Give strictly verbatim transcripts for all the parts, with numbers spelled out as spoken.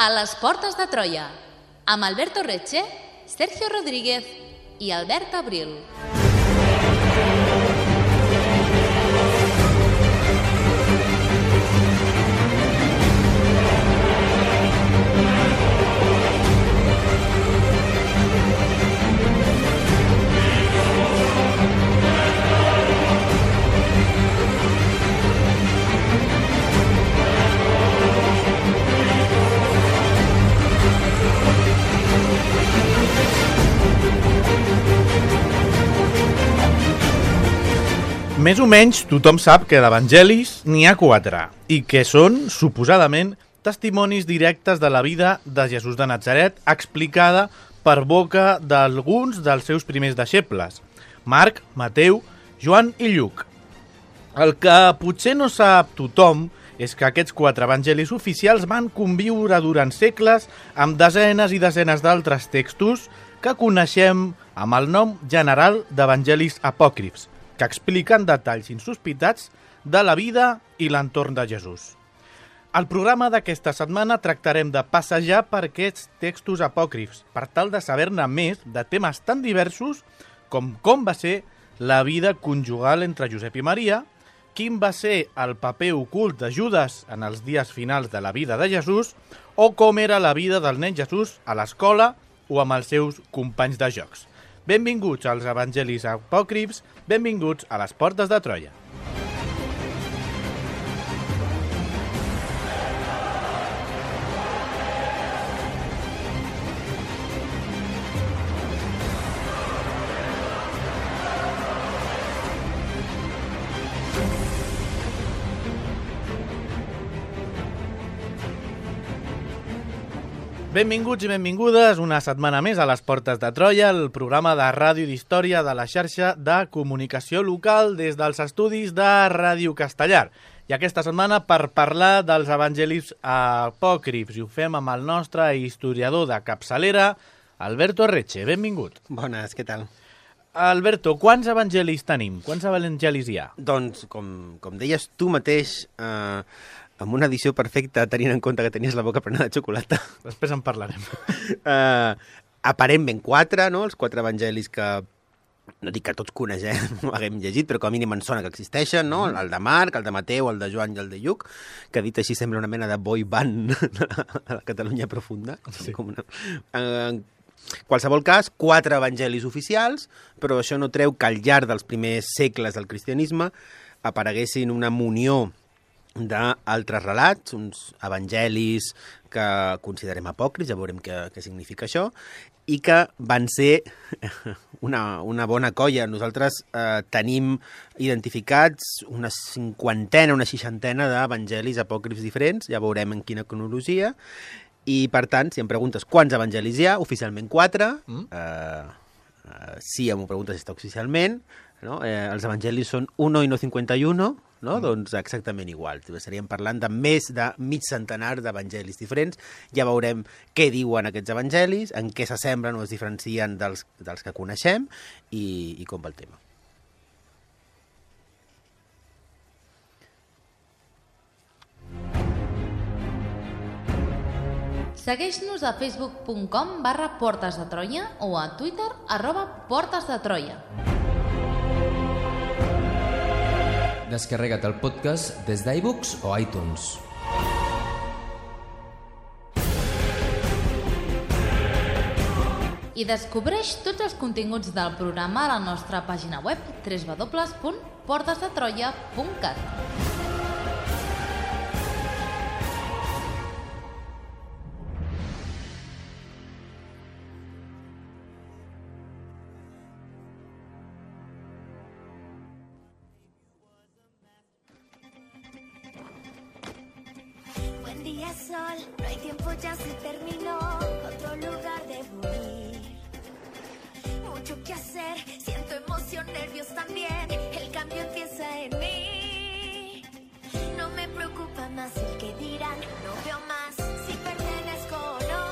A les portes de Troia, amb Alberto Reche, Sergio Rodríguez i Albert Abril. Més o menys tothom sap que d'evangelis n'hi ha quatre i que són, suposadament, testimonis directes de la vida de Jesús de Natzaret explicada per boca d'alguns dels seus primers deixebles, Marc, Mateu, Joan i Lluc. El que potser no sap tothom és que aquests quatre evangelis oficials van conviure durant segles amb desenes i desenes d'altres textos que coneixem amb el nom general d'evangelis apòcrifs, que expliquen detalls insospitats de la vida i l'entorn de Jesús. Al programa d'aquesta setmana tractarem de passejar per aquests textos apòcrifs per tal de saber-ne més de temes tan diversos com com va ser la vida conjugal entre Josep i Maria, quin va ser el paper ocult de Judes en els dies finals de la vida de Jesús o com era la vida del nen Jesús a l'escola o amb els seus companys de jocs. Benvinguts als evangelis apòcrifs, benvinguts a les portes de Troia. Benvinguts i benvingudes una setmana més a les Portes de Troia, el programa de ràdio d'història de la xarxa de comunicació local des dels estudis de Ràdio Castellar. I aquesta setmana per parlar dels evangelis apòcrifs i ho fem amb el nostre historiador de capçalera, Alberto Reche. Benvingut. Bones, què tal? Alberto, quants evangelis tenim? Quants evangelis hi ha? Doncs, com, com deies tu mateix, eh, amb una edició perfecta, tenint en compte que tenies la boca plena de xocolata. Després en parlarem. Uh, aparentment quatre, no? Els quatre evangelis que, no dic que tots coneixem o haguem llegit, però com a mínim en sona que existeixen, no? El de Marc, el de Mateu, el de Joan i el de Lluc, que dit així sembla una mena de boy band de la Catalunya profunda. Sí. Com una... Uh, qualsevol cas, quatre evangelis oficials, però això no treu que al llarg dels primers segles del cristianisme apareguessin una munió d'altres relats, uns evangelis que considerem apòcrifs, ja veurem què, què significa això, i que van ser una, una bona colla. Nosaltres eh, tenim identificats una cinquantena, una seixantena d'evangelis apòcrifs diferents, ja veurem en quina cronologia, i per tant, si em preguntes quants evangelis hi ha, oficialment quatre, mm. eh, eh, si em preguntes si està oficialment, no? eh, els evangelis són uno i no cinquanta-uno, no? Mm. Doncs exactament igual. Estaríem parlant de més de mig centenar d'evangelis diferents. Ja veurem què diuen aquests evangelis, en què s'assemblen o es diferencien dels, dels que coneixem i, i com va el tema. Segueix-nos a facebook punt com barra Portes de Troia o a Twitter arroba Portes de Troia. Descarrega't el podcast des d'iBooks o iTunes. I descobreix tots els continguts del programa a la nostra pàgina web w w w punt portes de troia punt cat. Sol, no hay tiempo, ya se terminó, otro lugar debo ir. Mucho que hacer, siento emoción, nervios también, el cambio empieza en mí. No me preocupa más el que dirán, no veo más si pertenezco o no.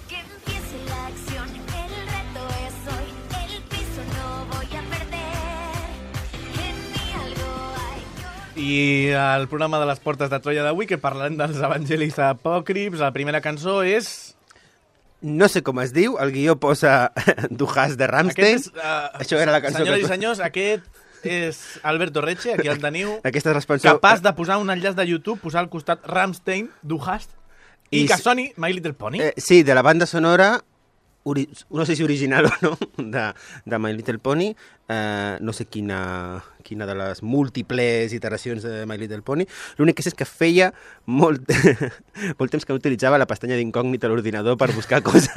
Que empiece la acción, el reto es hoy, el piso no voy a perder. En mí algo hay. I el programa de les Portes de Troia d'avui, que parlarem dels evangelis apòcrifs, la primera cançó és... No sé com es diu, el guió posa Du Hast de Rammstein. Aquest és, uh, Això era la cançó senyores que... i senyors, aquest és Alberto Reche, aquí el teniu, Aquesta responsa... capaç de posar un enllaç de YouTube, posar al costat Rammstein, Du Hast, i, I que si- soni My Little Pony. Eh, sí, de la banda sonora, ori... no sé si original o no, de, de My Little Pony, eh, no sé quina, quina de les múltiples iteracions de My Little Pony. L'únic que sé és que feia molt, molt temps que no utilitzava la pestanya d'incògnita a l'ordinador per buscar coses,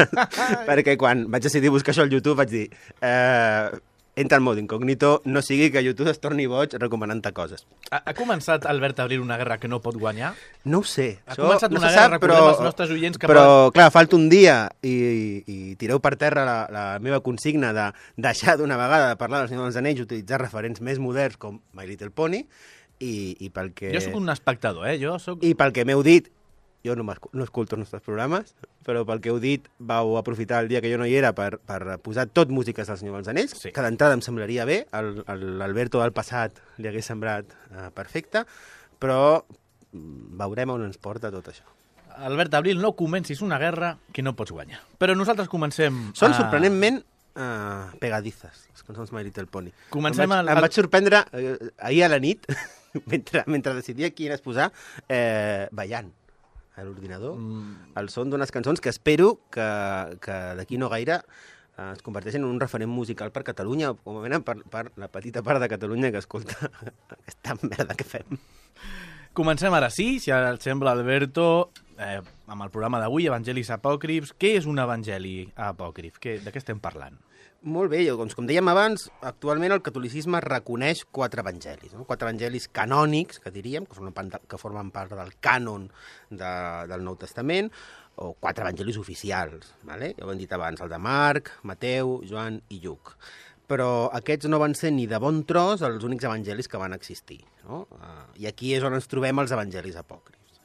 perquè quan vaig decidir buscar això al YouTube vaig dir... Eh, entra al mode incògnito, no sigui que YouTube es torni boig recomanant-te coses. Ha, ha començat Albert a obrir una guerra que no pot guanyar? No ho sé. Ha Això començat no una se guerra, sap, recordem als nostres oients que Però, poden- clar, falta un dia i, i tireu per terra la, la meva consigna de deixar d'una vegada de parlar del Senyor dels Anells i utilitzar referents més moderns com My Little Pony i, i pel que... Jo sóc un espectador, eh? Jo sóc... I pel que m'heu dit, jo no, no escolto els nostres programes, però pel que heu dit vau aprofitar el dia que jo no hi era per, per posar tot músiques del Senyor dels Anells, Sí. que d'entrada em semblaria bé, el- el- l'Alberto del passat li hagués semblat eh, perfecte, però mm, veurem on ens porta tot això. Albert Abril, no comencis una guerra que no pots guanyar. Però nosaltres comencem... Són a- sorprenentment uh, pegadizes, les cançons My Little Pony. Comencem em vaig, el- em el- vaig sorprendre eh, ahir a la nit, mentre, mentre decidia quines posar, eh, ballant a l'ordinador, mm. el son d'unes cançons que espero que, que d'aquí no gaire eh, es converteixin en un referent musical per Catalunya, o com a mínim per, per la petita part de Catalunya que escolta aquesta merda que fem. Comencem ara sí, si ara et sembla, Alberto, eh, amb el programa d'avui, Evangelis Apòcrifs. Què és un evangeli apòcrif? Què, de què estem parlant? Molt bé, doncs, com dèiem abans, actualment el catolicisme reconeix quatre evangelis, no? Quatre evangelis canònics, que diríem, que formen part, que formen part del cànon de, del Nou Testament, o quatre evangelis oficials, vale? Ja ho hem dit abans, el de Marc, Mateu, Joan i Lluc. Però aquests no van ser ni de bon tros els únics evangelis que van existir, no? Uh, I aquí és on ens trobem els evangelis apòcrifs.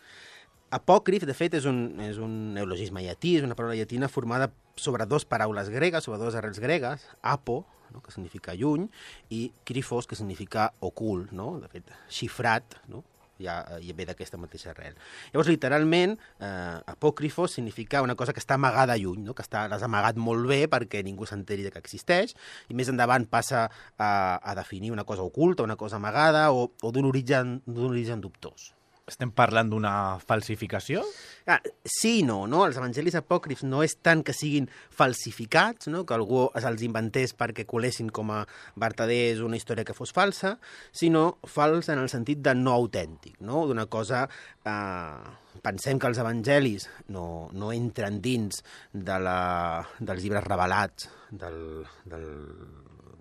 Apòcrif, de fet, és un, és un neologisme llatí, és una paraula llatina formada sobre dues paraules gregues, sobre dues arrels gregues, apo, no? Que significa lluny, i krifos, que significa ocult, no? De fet, xifrat, no? Ja, ja ve d'aquesta mateixa arrel. Llavors, literalment, eh, apòcrifos significa una cosa que està amagada lluny, no? Que està, l'has amagat molt bé perquè ningú s'enteri que existeix, i més endavant passa a, a definir una cosa oculta, una cosa amagada, o, o d'un origen, d'un origen dubtós. Estem parlant d'una falsificació? Ah, sí i no, no? Els evangelis apòcrifs no és tant que siguin falsificats, no? Que algú se'ls inventés perquè colessin com a vertaders una història que fos falsa, sinó fals en el sentit de no autèntic, no? D'una cosa... Eh, pensem que els evangelis no, no entren dins de la, dels llibres revelats del, del,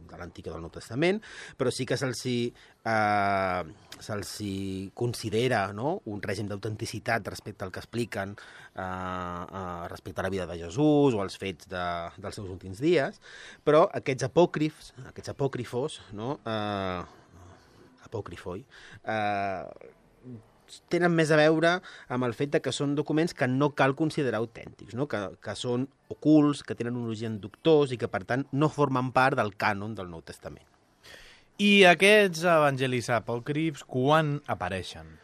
de l'Antic i del Nou Testament, però sí que se'ls eh, se'ls considera, no? Un règim d'autenticitat respecte al que expliquen eh, eh, respecte a la vida de Jesús o als fets de, dels seus últims dies, però aquests apòcrifs, aquests apòcrifos, no? eh, apòcrifoi, eh, tenen més a veure amb el fet de que són documents que no cal considerar autèntics, no? que, que són ocults, que tenen un origen dubtós i que, per tant, no formen part del cànon del Nou Testament. I aquests evangelis apòcrifs, quan apareixen?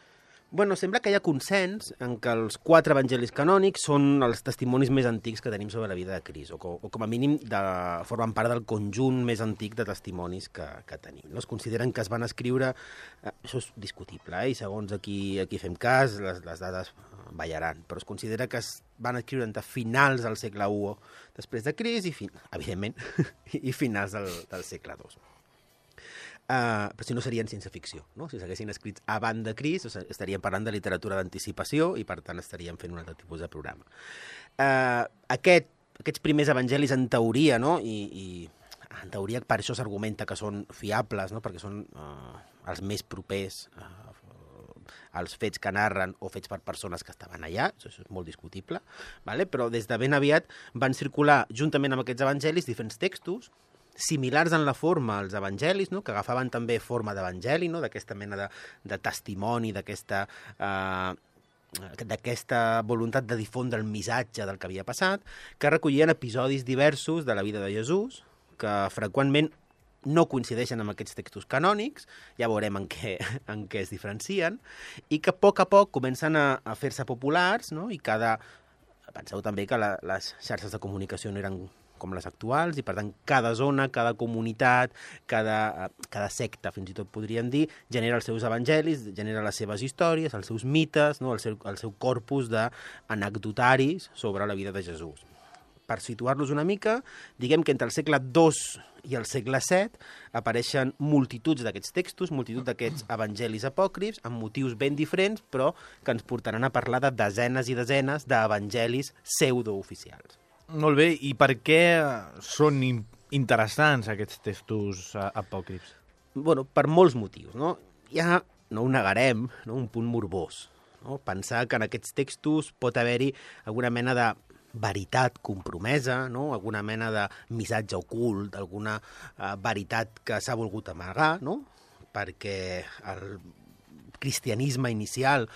Bueno, sembla que hi ha consens en que els quatre evangelis canònics són els testimonis més antics que tenim sobre la vida de Crist, o, co o com a mínim de, formen part del conjunt més antic de testimonis que, que tenim. No? Es consideren que es van escriure, eh, això és discutible, eh? I segons aquí, aquí fem cas, les, les dades ballaran, però es considera que es van escriure entre finals del segle u després de Crist i, fin evidentment, i finals del, del segle dos. Uh, però si no serien ciència-ficció, no? Si s'haguessin escrit abans de Crist, estaríem parlant de literatura d'anticipació i, per tant, estaríem fent un altre tipus de programa. Uh, aquest, aquests primers evangelis, en teoria, no? I, i en teoria per això s'argumenta que són fiables, no? Perquè són uh, els més propers uh, als fets que narren o fets per persones que estaven allà, això és molt discutible, vale? Però des de ben aviat van circular, juntament amb aquests evangelis, diferents textos, similars en la forma als evangelis, no? Que agafaven també forma d'evangeli, no? D'aquesta mena de, de testimoni, d'aquesta eh, d'aquesta voluntat de difondre el missatge del que havia passat, que recollien episodis diversos de la vida de Jesús, que freqüentment no coincideixen amb aquests textos canònics, ja veurem en què, en què es diferencien, i que a poc a poc comencen a, a fer-se populars, no? I cada... Penseu també que la, les xarxes de comunicació no eren com les actuals, i per tant cada zona, cada comunitat, cada, cada secta, fins i tot podríem dir, genera els seus evangelis, genera les seves històries, els seus mites, no? el, seu, el seu corpus d'anecdotaris sobre la vida de Jesús. Per situar-los una mica, diguem que entre el segle dos i el segle set apareixen multituds d'aquests textos, multitud d'aquests evangelis apòcrifs, amb motius ben diferents, però que ens portaran a parlar de desenes i desenes d'evangelis pseudooficials. Molt bé, i per què són interessants aquests textos apòcrifs? Bueno, per molts motius, no? Ja no ho negarem, no? Un punt morbós, no? Pensar que en aquests textos pot haver-hi alguna mena de veritat compromesa, no? Alguna mena de missatge ocult, alguna uh, veritat que s'ha volgut amagar, no? Perquè el cristianisme inicial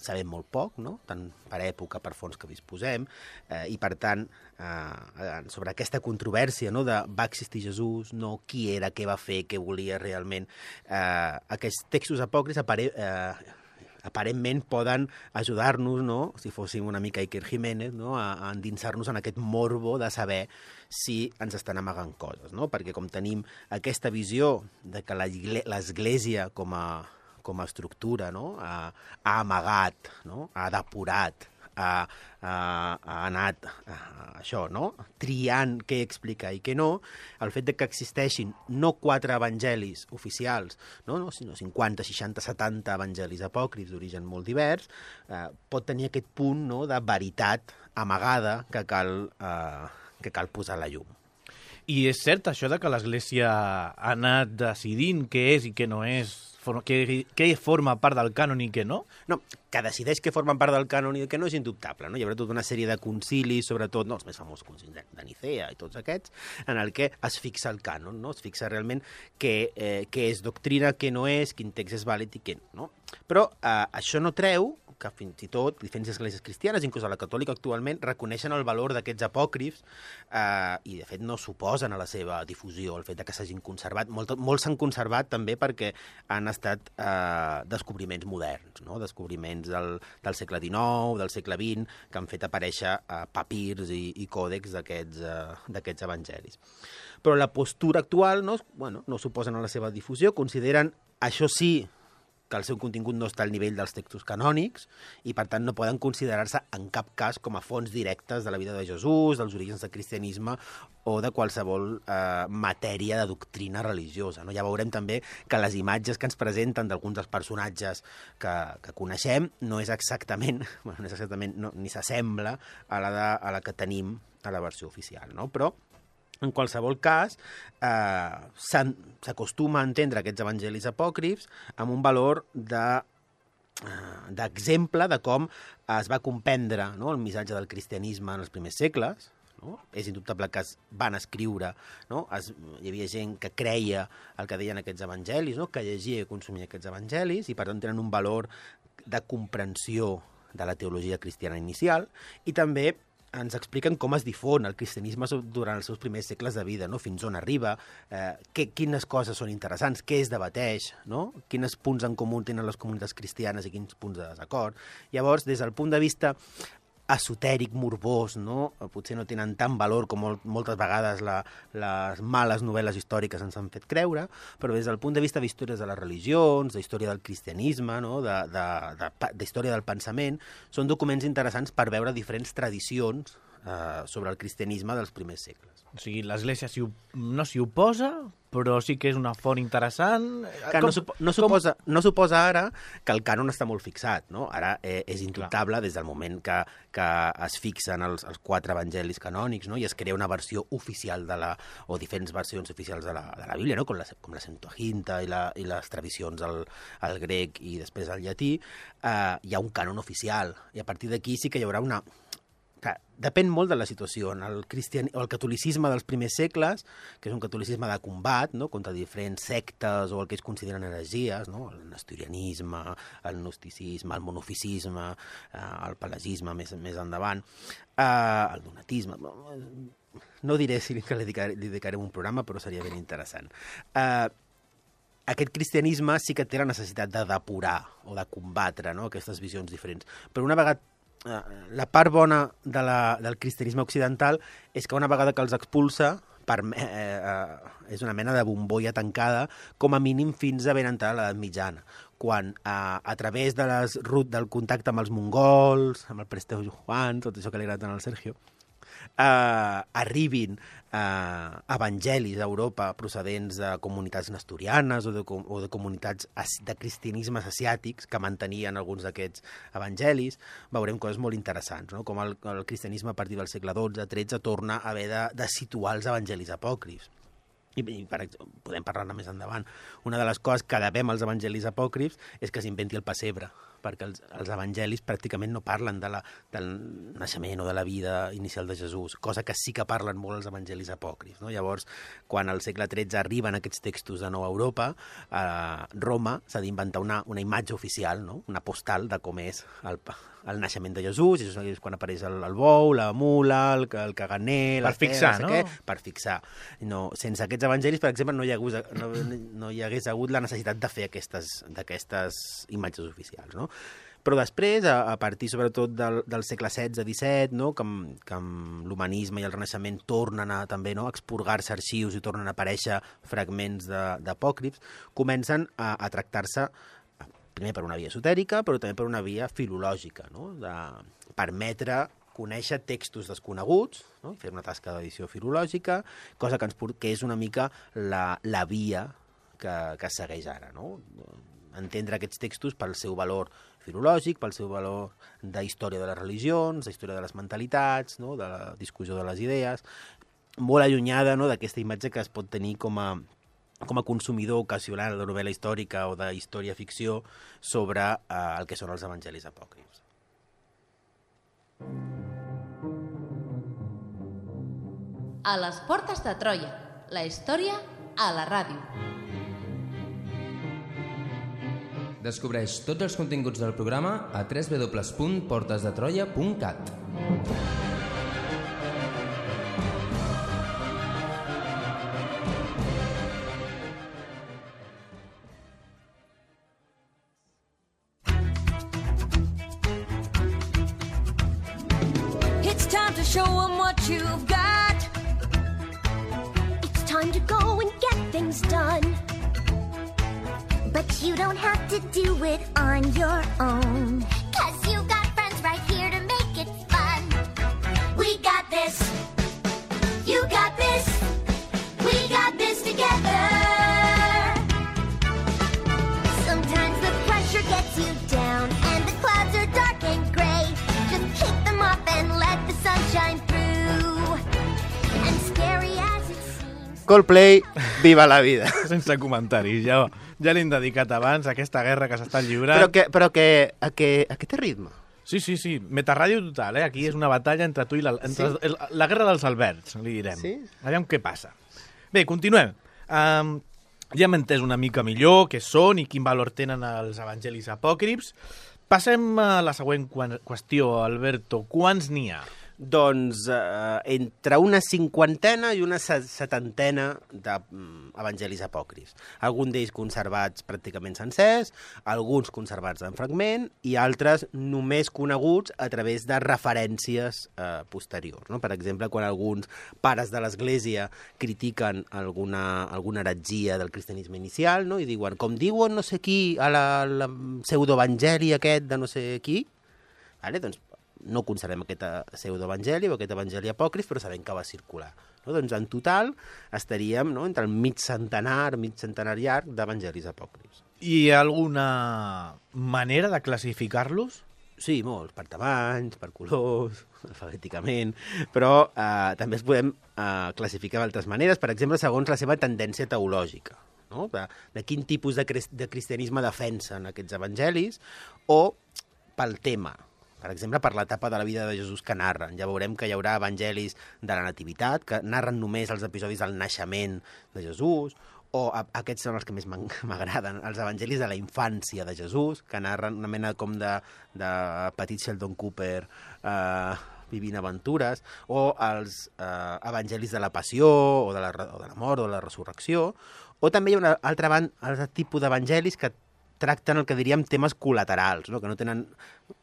sabem molt poc, no? Tant per època, per fons que disposem, eh, i per tant, eh, sobre aquesta controvèrsia, no? De va existir Jesús, no? Qui era, què va fer, què volia realment. Eh, aquests textos apòcrifs apare eh, aparentment poden ajudar-nos, no? Si fóssim una mica Iker Jiménez, no? a, a endinsar-nos en aquest morbo de saber si ens estan amagant coses, no? Perquè com tenim aquesta visió de que l'Església com a com a estructura, no? ha, ha amagat, no? ha depurat, ha, ha, ha anat a, a això, no? triant què explicar i què no, el fet de que existeixin no quatre evangelis oficials, no? No? sinó cinquanta, seixanta, setanta evangelis apòcrifs d'origen molt divers, eh, pot tenir aquest punt, no? de veritat amagada que cal, eh, que cal posar a la llum. I és cert això de que l'Església ha anat decidint què és i què no és, què, què forma part del cànon i què no? No, que decideix què formen part del cànon i què no és indubtable, no? Hi haurà tota una sèrie de concilis, sobretot, no, els més famosos concilis de Nicea i tots aquests, en el que es fixa el cànon, no? Es fixa realment què, eh, què és doctrina, què no és, quin text és vàlid i què no. Però eh, això no treu que fins i tot diferents esglésies cristianes, inclús a la catòlica actualment, reconeixen el valor d'aquests apòcrifs eh, i, de fet, no s'oposen a la seva difusió, el fet de que s'hagin conservat. Molt, molts s'han conservat també perquè han estat eh, descobriments moderns, no? Descobriments del, del segle dinou, del segle vint, que han fet aparèixer eh, papirs i, i còdecs d'aquests eh, evangelis. Però la postura actual no, bueno, no s'oposen a la seva difusió, consideren, això sí, que el seu contingut no està al nivell dels textos canònics i, per tant, no poden considerar-se en cap cas com a fonts directes de la vida de Jesús, dels orígens del cristianisme o de qualsevol eh, matèria de doctrina religiosa. No? Ja veurem també que les imatges que ens presenten d'alguns dels personatges que, que coneixem no és exactament, bueno, no és exactament no, ni s'assembla a la, de, a la que tenim a la versió oficial, no? Però en qualsevol cas, eh, s'acostuma a entendre aquests evangelis apòcrifs amb un valor de, eh, d'exemple de com es va comprendre, no? El missatge del cristianisme en els primers segles. No? És indubtable que es van escriure, no? es, hi havia gent que creia el que deien aquests evangelis, no? Que llegia i consumia aquests evangelis, i per tant tenen un valor de comprensió de la teologia cristiana inicial, i també ens expliquen com es difon el cristianisme durant els seus primers segles de vida, no? Fins on arriba, eh, que, quines coses són interessants, què es debateix, no? Quins punts en comú tenen les comunitats cristianes i quins punts de desacord. Llavors, des del punt de vista esotèric, morbós, no? Potser no tenen tant valor com molt, moltes vegades la, les males novel·les històriques ens han fet creure, però des del punt de vista d'històries de les religions, d'història del cristianisme, no? de, de, de, d'història del pensament, són documents interessants per veure diferents tradicions eh, sobre el cristianisme dels primers segles. O sigui, l'Església si, no s'hi oposa, però sí que és una font interessant. Que com, no, supo, no, suposa, com... no suposa ara que el cànon està molt fixat, no? Ara eh, és indubtable des del moment que, que es fixen els, els quatre evangelis canònics, no? I es crea una versió oficial de la, o diferents versions oficials de la, de la Bíblia, no? Com la, com la Septuaginta i, la, i les tradicions al, al grec i després al llatí, eh, hi ha un cànon oficial, i a partir d'aquí sí que hi haurà una... Clar, depèn molt de la situació. En el, cristian... el catolicisme dels primers segles, que és un catolicisme de combat, no? Contra diferents sectes o el que es consideren heresies, no? El nestorianisme, el gnosticisme, el monofisisme, eh, el pelagisme més, més endavant, eh, el donatisme... no diré si li dedicaré, li dedicarem un programa, però seria ben interessant. Uh, aquest cristianisme sí que té la necessitat de depurar o de combatre, no?, aquestes visions diferents. Però una vegada la part bona de la, del cristianisme occidental és que una vegada que els expulsa per, eh, eh, és una mena de bombolla tancada, com a mínim fins a ben entrada l'edat mitjana, quan eh, a través de les, del contacte amb els mongols, amb el Presteu Juan, tot això que li agrada tant al Sergio, eh, arribin eh, evangelis a Europa procedents de comunitats nestorianes o de, o de comunitats de cristianismes asiàtics que mantenien alguns d'aquests evangelis, veurem coses molt interessants, no? Com el, el cristianisme a partir del segle dotze tretze torna a haver de, de situar els evangelis apòcrifs. I, i per exemple, podem parlar-ne més endavant. Una de les coses que devem als evangelis apòcrifs és que s'inventi el pessebre, perquè els, els evangelis pràcticament no parlen de la, del naixement o de la vida inicial de Jesús, cosa que sí que parlen molt els evangelis apòcrifs, no? Llavors, quan al segle tretze arriben aquests textos de nou a Europa, a Roma s'ha d'inventar una, una imatge oficial, no? Una postal de com és el, el naixement de Jesús, i això és quan apareix el, el bou, la mula, el, el caganer... Per fixar, no? Què, per fixar. No, sense aquests evangelis, per exemple, no hi, hagués, no, no hi hagués hagut la necessitat de fer aquestes, d'aquestes imatges oficials, no? Però després, a, a partir sobretot del, del segle setze disset, no? que, que amb l'humanisme i el Renaixement tornen a, també, no? a expurgar-se arxius i tornen a aparèixer fragments d'apòcrifs, comencen a, a tractar-se primer per una via esotèrica, però també per una via filològica, no? De permetre conèixer textos desconeguts, no? Fer una tasca d'edició filològica, cosa que, ens, que és una mica la, la via que, que segueix ara, no? Entendre aquests textos pel seu valor filològic, pel seu valor de història de les religions, de història de les mentalitats, no? De la discussió de les idees, molt allunyada, no? D'aquesta imatge que es pot tenir com a, com a consumidor ocasional de novel·la històrica o de història-ficció sobre eh, el que són els evangelis apòcrifs. A les portes de Troia, la història a la ràdio. Descobreix tots els continguts del programa a w w w punt portes de troia punt cat. It's time to show them what you've got. It's time to go and get things done. But you don't have to do it on your own. 'Cause you got friends right here to make it fun. We got this. You got this. We got this together. Sometimes the pressure gets you down and the clouds are dark and gray. Just kick them off and let the sun shine through. And scary as it seems. Coldplay, viva la vida. Sense comentaris, ja, ja l'hem dedicat abans a aquesta guerra que s'està lliurant. Però que, però que, a que, a que té ritme? Sí, sí, sí, metarràdio total, eh? Aquí és una batalla entre tu i la... Entre sí? el, la guerra dels Alberts, li direm. Sí? Aviam què passa. Bé, continuem. Um, ja hem entès una mica millor què són i quin valor tenen els evangelis apòcrifs. Passem a la següent qüestió, Alberto. Quants n'hi ha? Doncs eh, entre una cinquantena i una setantena d'evangelis apòcrifs. Alguns d'ells conservats pràcticament sencers, alguns conservats en fragment i altres només coneguts a través de referències eh, posteriors. No? Per exemple, quan alguns pares de l'Església critiquen alguna, alguna heretgia del cristianisme inicial, no? I diuen, com diuen no sé qui a la, la pseudoevangeli aquest de no sé qui, vale? Doncs no conservem aquest pseudoevangeli o aquest evangeli apòcrif, però sabem que va circular. No? Doncs en total estaríem, no?, entre el mig centenar, mig centenar llarg d'evangelis apòcrifs. Hi ha alguna manera de classificar-los? Sí, molts, per tamanys, per colors, alfabèticament, però eh, també es podem eh, classificar d'altres maneres, per exemple, segons la seva tendència teològica. No? De, de quin tipus de, de cristianisme defensen aquests evangelis, o pel tema. Per exemple, per l'etapa de la vida de Jesús que narren. Ja veurem que hi haurà evangelis de la nativitat, que narren només els episodis del naixement de Jesús, o a, aquests són els que més m'agraden, els evangelis de la infància de Jesús, que narren una mena com de, de petit Sheldon Cooper, eh, vivint aventures, o els eh, evangelis de la passió, o de la, o de la mort, o de la resurrecció, o també hi ha un altre, altre tipus d'evangelis que tracten el que diríem temes col·laterals, no? Que no tenen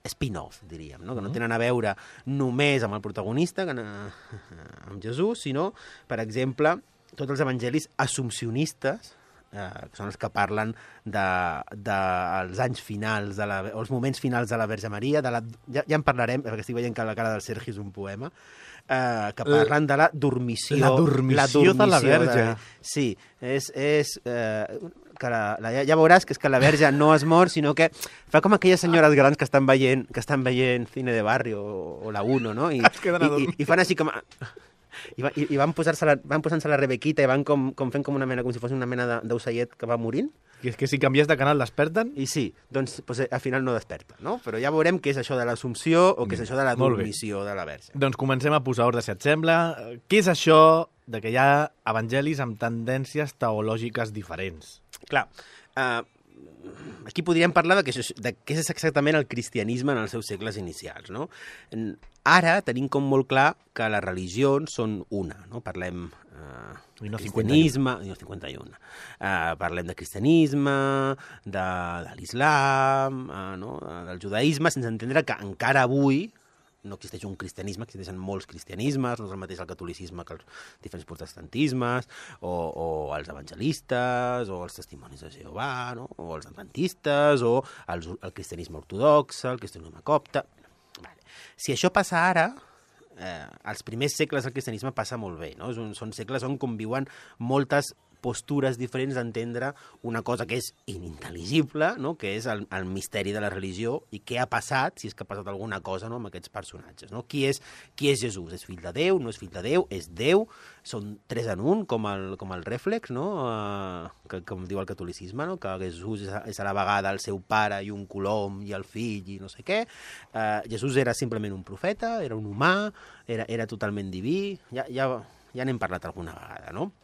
spin-off, diríem, no? Que no tenen a veure només amb el protagonista, que, amb Jesús, sinó, per exemple, tots els evangelis assumpcionistes, eh, que són els que parlen dels de, de anys finals, de la, o els moments finals de la Verge Maria, de la, ja, ja en parlarem, perquè estic veient que la cara del Sergi és un poema, eh, que parlen de la dormició. La dormició, la dormició de la Verge. De, sí, és... és eh, que la, la, ja veuràs que és que la Verge no es mor, sinó que fa com aquelles senyores grans que estan veient, que estan veient cine de barri o, o la Uno, no? I, i, i, i fan així com... I, va, i, i van posar-se la, van posant-se la Rebequita i van com, com fent com una mena, com si fos una mena d'ocellet que va morint. I és que si canvies de canal desperten? I sí, doncs, doncs al final no desperta, no? Però ja veurem què és això de l'assumpció o què és això de la dormició de la Verge. Doncs comencem a posar ordre, si et sembla. Què és això de que hi ha evangelis amb tendències teològiques diferents? Clar, eh, aquí podríem parlar de, que, de què és exactament el cristianisme en els seus segles inicials, no? Ara tenim com molt clar que les religions són una, no? Parlem eh, I no cristianisme, i no cinquanta-un. Eh, parlem de cristianisme, de, de l'islam, eh, no? Del judaïsme, sense entendre que encara avui no existeix un cristianisme, existeixen molts cristianismes, no és el mateix el catolicisme que els diferents protestantismes, o, o els evangelistes, o els testimonis de Jehovà, no? O els adventistes, o els, el cristianisme ortodox, el cristianisme copte... Vale. Si això passa ara, eh, als primers segles del cristianisme passa molt bé, no? Són, són segles on conviuen moltes postures diferents d'entendre una cosa que és inintel·ligible, no? Que és el, el misteri de la religió i què ha passat, si és que ha passat alguna cosa, no? Amb aquests personatges. No? Qui, és, qui és Jesús? És fill de Déu? No és fill de Déu? És Déu? Són tres en un, com el, com el rèflex, no? Uh, que, com diu el catolicisme, no? Que Jesús és a, és a la vegada el seu pare i un colom i el fill i no sé què. Uh, Jesús era simplement un profeta, era un humà, era, era totalment diví. Ja, ja, ja n'hem parlat alguna vegada, no?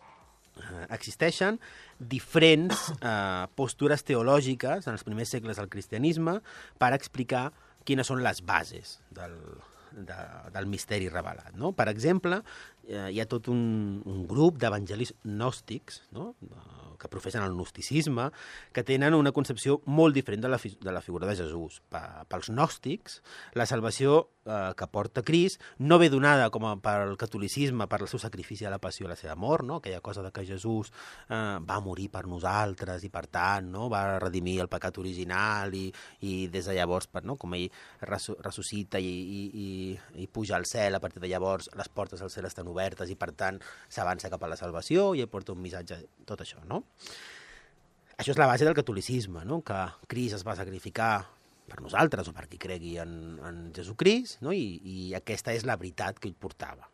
Uh, existeixen diferents uh, postures teològiques en els primers segles del cristianisme per explicar quines són les bases del, de, del misteri revelat. No? Per exemple, uh, hi ha tot un, un grup d'evangelis gnòstics, no? uh, que professen el gnosticisme, que tenen una concepció molt diferent de la, de la figura de Jesús. Pels gnòstics, la salvació eh, que porta Crist no ve donada com a pel catolicisme, per el seu sacrifici a la passió i la seva mort, no? Aquella cosa de que Jesús eh, va morir per nosaltres i, per tant, no? Va redimir el pecat original i, i des de llavors, per, no? Com ell ressuscita i, i, i, i puja al cel, a partir de llavors les portes al cel estan obertes i, per tant, s'avança cap a la salvació i ell porta un missatge, tot això, no? Això és la base del catolicisme, no? Que Crist es va sacrificar per nosaltres o per qui cregui en, en Jesucrist, no? I, i aquesta és la veritat que ell portava.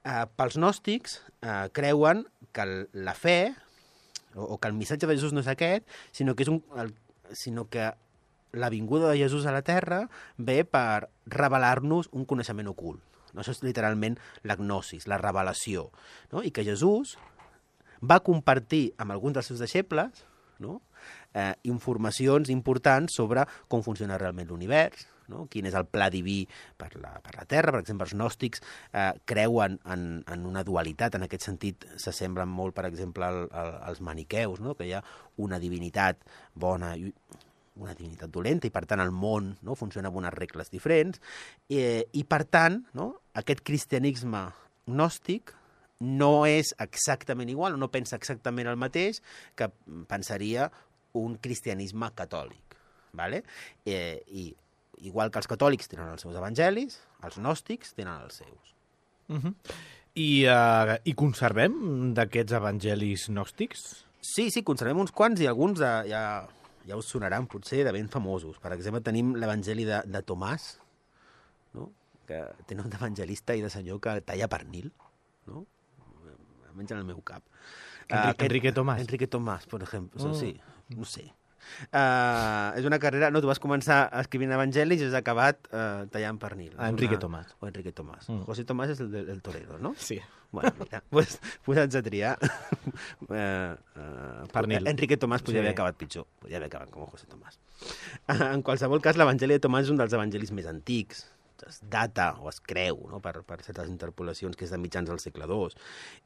Eh, pels gnòstics eh, creuen que la fe, o, o que el missatge de Jesús no és aquest, sinó que, és un, el, sinó que la vinguda de Jesús a la terra ve per revelar-nos un coneixement ocult. No? Això és literalment la gnosis, la revelació. No? I que Jesús va compartir amb alguns dels seus deixebles, no? eh, informacions importants sobre com funciona realment l'univers, no? Quin és el pla diví per la, per la Terra. Per exemple, els gnòstics eh, creuen en, en una dualitat, en aquest sentit s'assemblen molt, per exemple, al, al, als maniqueus, no? Que hi ha una divinitat bona i una divinitat dolenta i, per tant, el món, no? Funciona amb unes regles diferents eh, i, per tant, no? Aquest cristianisme gnòstic no és exactament igual, no pensa exactament el mateix que pensaria un cristianisme catòlic. ¿Vale? Eh, I igual que els catòlics tenen els seus evangelis, els gnòstics tenen els seus. Uh -huh. I, uh, I conservem d'aquests evangelis gnòstics? Sí, sí, conservem uns quants i alguns de, ja, ja us sonaran potser de ben famosos. Per exemple, tenim l'evangeli de, de Tomàs, no? Que té nom d'evangelista i de senyor que talla pernil, no? Almenys en el meu cap. Enrique, uh, Enrique Tomàs. Enrique Tomàs, per exemple. Oh. Sí, no sé. Uh, és una carrera... No, tu vas començar escrivint evangelis i has acabat uh, tallant pernil. Ah, Enrique una... Tomàs. O Enrique Tomàs. Mm. José Tomàs és el, del, el torero, no? Sí. Bueno, mira, pues, pues haig de triar. uh, uh, pernil. Enrique Tomàs podria sí. haver acabat pitjor. Podria haver acabat com José Tomàs. Uh, en qualsevol cas, l'evangeli de Tomàs és un dels evangelis més antics. es data o es creu, no? per, per certes interpolacions, que és de mitjans del segle dos.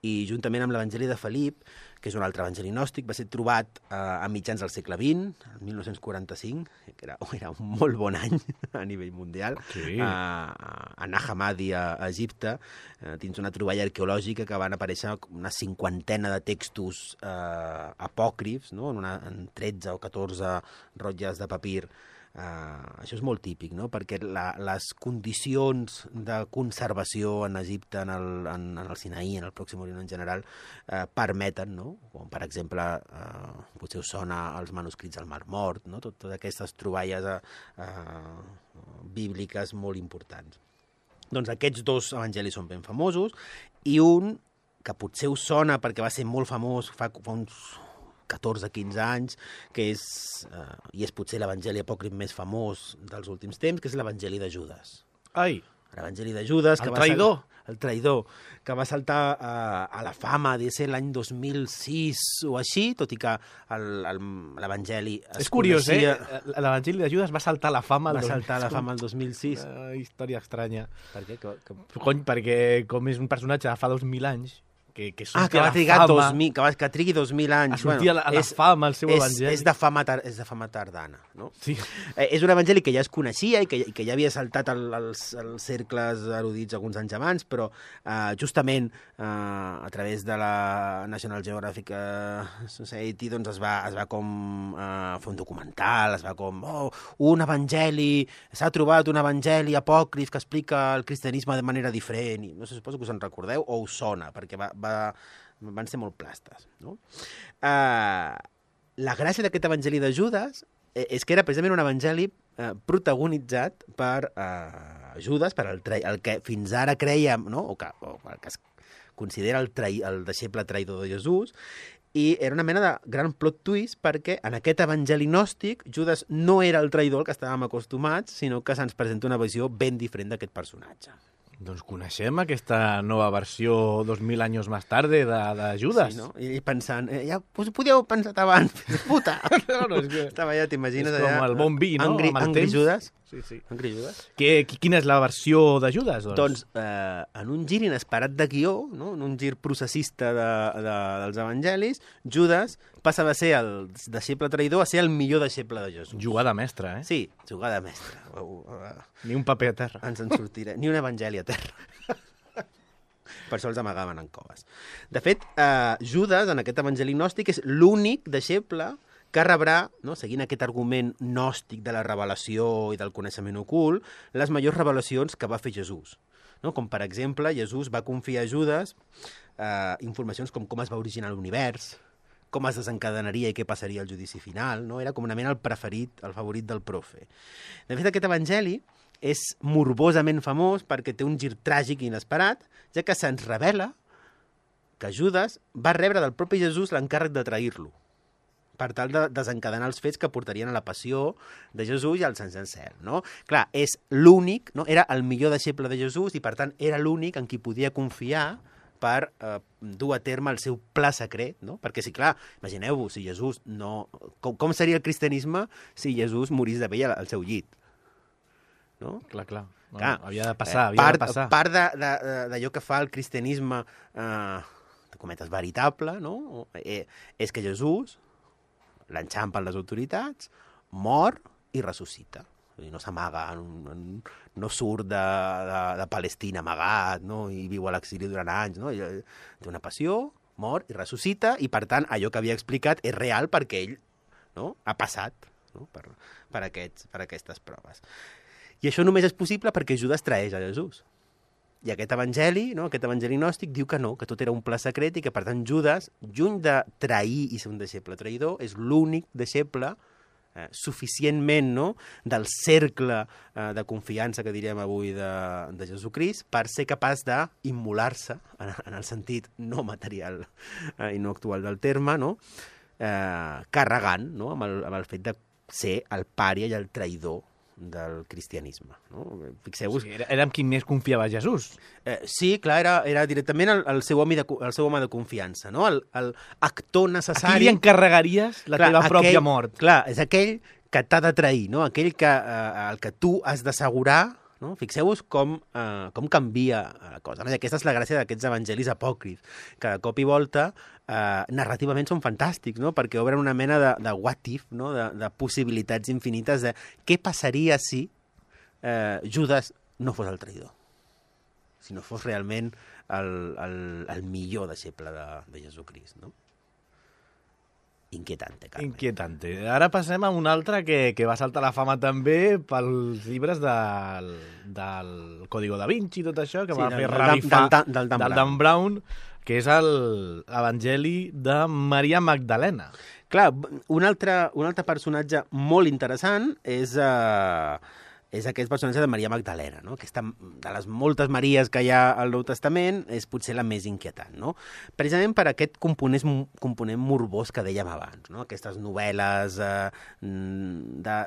I juntament amb l'Evangeli de Felip, que és un altre evangeli gnòstic, va ser trobat eh, a mitjans del segle vint, el mil nou-cents quaranta-cinc, que era, era un molt bon any a nivell mundial, Sí. eh, a Nag Hammadi, a, a Egipte, eh, dins una troballa arqueològica que van aparèixer una cinquantena de textos eh, apòcrifs, no? en, una, en tretze o catorze rotlles de papir. Uh, això és molt típic, no? Perquè la, les condicions de conservació en Egipte, en el, en, en el Sinaí, en el Pròxim Orient en general, uh, permeten, no? Com, per exemple, uh, potser us sona els manuscrits del Mar Mort, no? Tot, totes aquestes troballes uh, uh, bíbliques molt importants. Doncs aquests dos evangelis són ben famosos, i un que potser us sona perquè va ser molt famós fa, fa uns catorze quinze anys, que és, eh, i és potser l'evangeli apòcrif més famós dels últims temps, que és l'evangeli de Judes. Ai, L'evangeli de Judes... El que traïdor. Va sal... El traïdor, que va saltar eh, a la fama, de ser l'any dos mil sis o així, tot i que l'evangeli es és curiós, coneixia... eh? L'Evangeli de Judes va saltar a la fama... Va el dos- saltar a la fama el dos mil sis. Uh, història estranya. Per què? Que, que... Cony, perquè com és un personatge de fa dos mil anys, que, que Ah, surti que a va la trigar fama, dos mil, que, va, que trigui dos mil anys. a sortir a la, a la és, fama, el seu és, evangeli. és, de fama tar, és de fama tardana, no? Sí. Eh, és un evangeli que ja es coneixia i que, i que ja havia saltat el, els, els cercles erudits alguns anys abans, però eh, justament eh, a través de la National Geographic Society doncs es va, es va com eh, fer un documental, es va com, oh, un evangeli, s'ha trobat un evangeli apòcrif que explica el cristianisme de manera diferent, i no sé, suposo que us en recordeu o us sona, perquè va, va, van ser molt plastes, no? Eh, la gràcia d'aquest evangeli de Judes és que era precisament un evangeli eh, protagonitzat per eh, Judes, per el, el que fins ara creiem, no? o, que, o el que es considera el, trai, el deixeble traïdor de Jesús, i era una mena de gran plot twist perquè en aquest evangeli gnòstic Judes no era el traïdor al que estàvem acostumats, sinó que se'ns presenta una visió ben diferent d'aquest personatge. Doncs coneixem aquesta nova versió dos mil anys més tarde de, de Judas. Sí, no? I pensant, eh, ja us podíeu pensar abans, puta! No, no, és que... Estava ja, t'imagines És com allà... el bon vi, no? Angry, Amb el Angry temps. Judas. Sí, sí. Angry Judas. Que, quina és la versió de Judas? Doncs, Doncs, eh, en un gir inesperat de guió, no? En un gir processista de, de, dels evangelis, Judas passa de ser el deixeble traïdor a ser el millor deixeble de Jesús. jugada mestra, eh? Sí, jugada mestra. Uh, uh, Ni un paper a terra. ens en sortirem. Ni un evangeli a terra. Per això els amagaven en coves. De fet, eh, Judas, en aquest evangeli gnòstic, és l'únic deixeble que rebrà, no, seguint aquest argument gnòstic de la revelació i del coneixement ocult, les majors revelacions que va fer Jesús. No? Com, per exemple, Jesús va confiar a Judas eh, informacions com com es va originar l'univers, com es desencadenaria i què passaria al judici final. No? Era com una mena el preferit, el favorit del profe. De fet, aquest evangeli és morbosament famós perquè té un gir tràgic i inesperat, ja que se'ns revela que Judas va rebre del propi Jesús l'encàrrec de trair-lo, per tal de desencadenar els fets que portarien a la passió de Jesús i al ascens al cel. No? Clar, és l'únic, no? Era el millor deixeble de Jesús i, per tant, era l'únic en qui podia confiar per eh, dur a terme el seu pla secret, no? Perquè, sí, clar, imagineu-vos, si Jesús no... Com, com seria el cristianisme si Jesús morís de vell al seu llit? No? Clar, clar. No, Clar, havia de passar, havia part, de passar. Part d'allò que fa el cristianisme, eh, de cometes, veritable, no? Eh, és que Jesús l'enxampen les autoritats, mor i ressuscita. No s'amaga, no surt de, de, de Palestina amagat, no? I viu a l'exili durant anys. No? Té una passió, mor i ressuscita, i per tant allò que havia explicat és real perquè ell, no? Ha passat, no? per, per, aquests, per aquestes proves. I això només és possible perquè Judas traeix a Jesús. I aquest evangeli, no? aquest evangeli gnòstic, diu que no, que tot era un pla secret i que, per tant, Judas, lluny de trair i ser un deixeble traïdor, és l'únic deixeble eh, suficientment, no?, del cercle eh, de confiança que diríem avui de, de Jesucrist per ser capaç d'immolar-se, en, en el sentit no material eh, i no actual del terme, no?, eh, carregant, no?, amb el, amb el fet de ser el pària i el traïdor del cristianisme. No? Fixeu-vos... Sí, era, era amb qui més confiava Jesús. Eh, sí, clar, era, era directament el, el, seu home de, el seu home de confiança, no? El, el actor necessari... A qui li encarregaries la clar, teva aquell, pròpia mort? Clar, és aquell que t'ha de trair, no? Aquell que, eh, el que tu has d'assegurar, No? Fixeu-vos com, uh, com canvia la cosa. No? I aquesta és la gràcia d'aquests evangelis apòcrifs, que de cop i volta uh, narrativament són fantàstics, no? Perquè obren una mena de, de what if, no? de, de possibilitats infinites de què passaria si uh, Judas no fos el traïdor, si no fos realment el, el, el millor deixeble de, de Jesucrist, no? Inquietante, Carme. Inquietante. Ara passem a un altre que, que va saltar la fama també pels llibres del, del Código da Vinci i tot això, que Sí, va del- fer del- revifar del- del- del Dan del Dan Brown, que és l'Evangeli de Maria Magdalena. Clar, un altre, un altre personatge molt interessant és, uh, és aquest personatge de Maria Magdalena, no? Aquesta, de les moltes Maries que hi ha al Nou Testament, és potser la més inquietant, no? Precisament per aquest component, component morbós que dèiem abans, no? Aquestes novel·les eh, de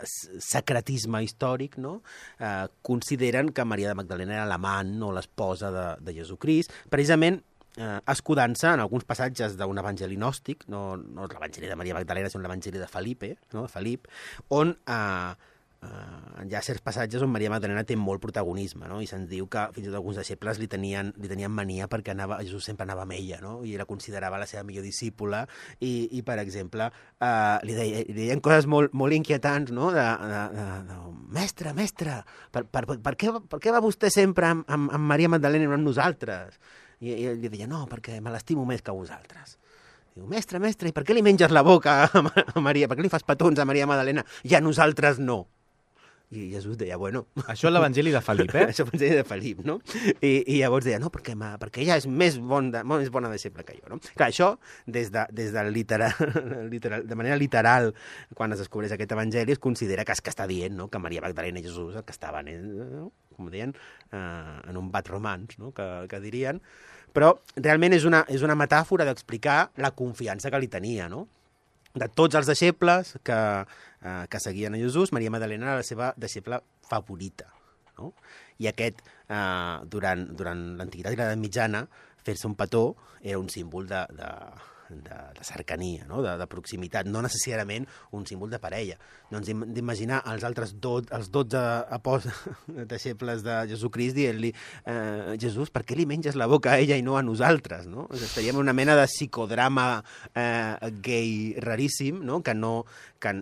secretisme històric, no? Eh, consideren que Maria de Magdalena era l'amant o l'esposa de, de Jesucrist, precisament eh, escudant-se en alguns passatges d'un evangeli gnòstic, no, no l'evangeli de Maria Magdalena, sinó l'evangeli de Felipe, no? de Felip, on eh, Uh, hi ha certs passatges on Maria Magdalena té molt protagonisme, no? I se'ns diu que fins i tot alguns deixebles li tenien, li tenien mania perquè anava, Jesús sempre anava amb ella, no? I la considerava la seva millor discípula i, i per exemple, uh, li, deia, li deien coses molt, molt inquietants, no? De, de, de, de mestre, mestre, per, per, per, per, què, per què va vostè sempre amb, amb, amb Maria Magdalena i no amb nosaltres? I, i li deia, no, perquè me l'estimo més que vosaltres. Diu, mestre, mestre, i per què li menges la boca a, a Maria? Per què li fas petons a Maria Magdalena i a nosaltres no? I Jesús deia, bueno... Això és l'Evangeli de Felip, eh? Això és l'Evangeli de Felip, no? I, i llavors deia, no, perquè, perquè ella és més, bon de, més bona deixeble que jo, no? Clar, això, des de, des de, literal, literal, de manera literal, quan es descobreix aquest evangeli, es considera que és que està dient, no?, que Maria Magdalena i Jesús, el que estaven, eh, no? com deien, eh, en un bat romans, no?, que, que dirien, però realment és una, és una metàfora d'explicar la confiança que li tenia, no?, de tots els deixebles que, eh, que seguien a Jesús, Maria Magdalena era la seva deixeble favorita. No? I aquest, eh, durant, durant l'Antiguitat i l'Edat Mitjana, fer-se un petó era un símbol de, de, de, de cercania, no? de, de proximitat, no necessàriament un símbol de parella. Doncs d'imaginar els altres do, els dotze deixebles de Jesucrist dient-li eh, Jesús, per què li menges la boca a ella i no a nosaltres? No? O sigui, estaríem en una mena de psicodrama eh, gay raríssim, no? que no... Que,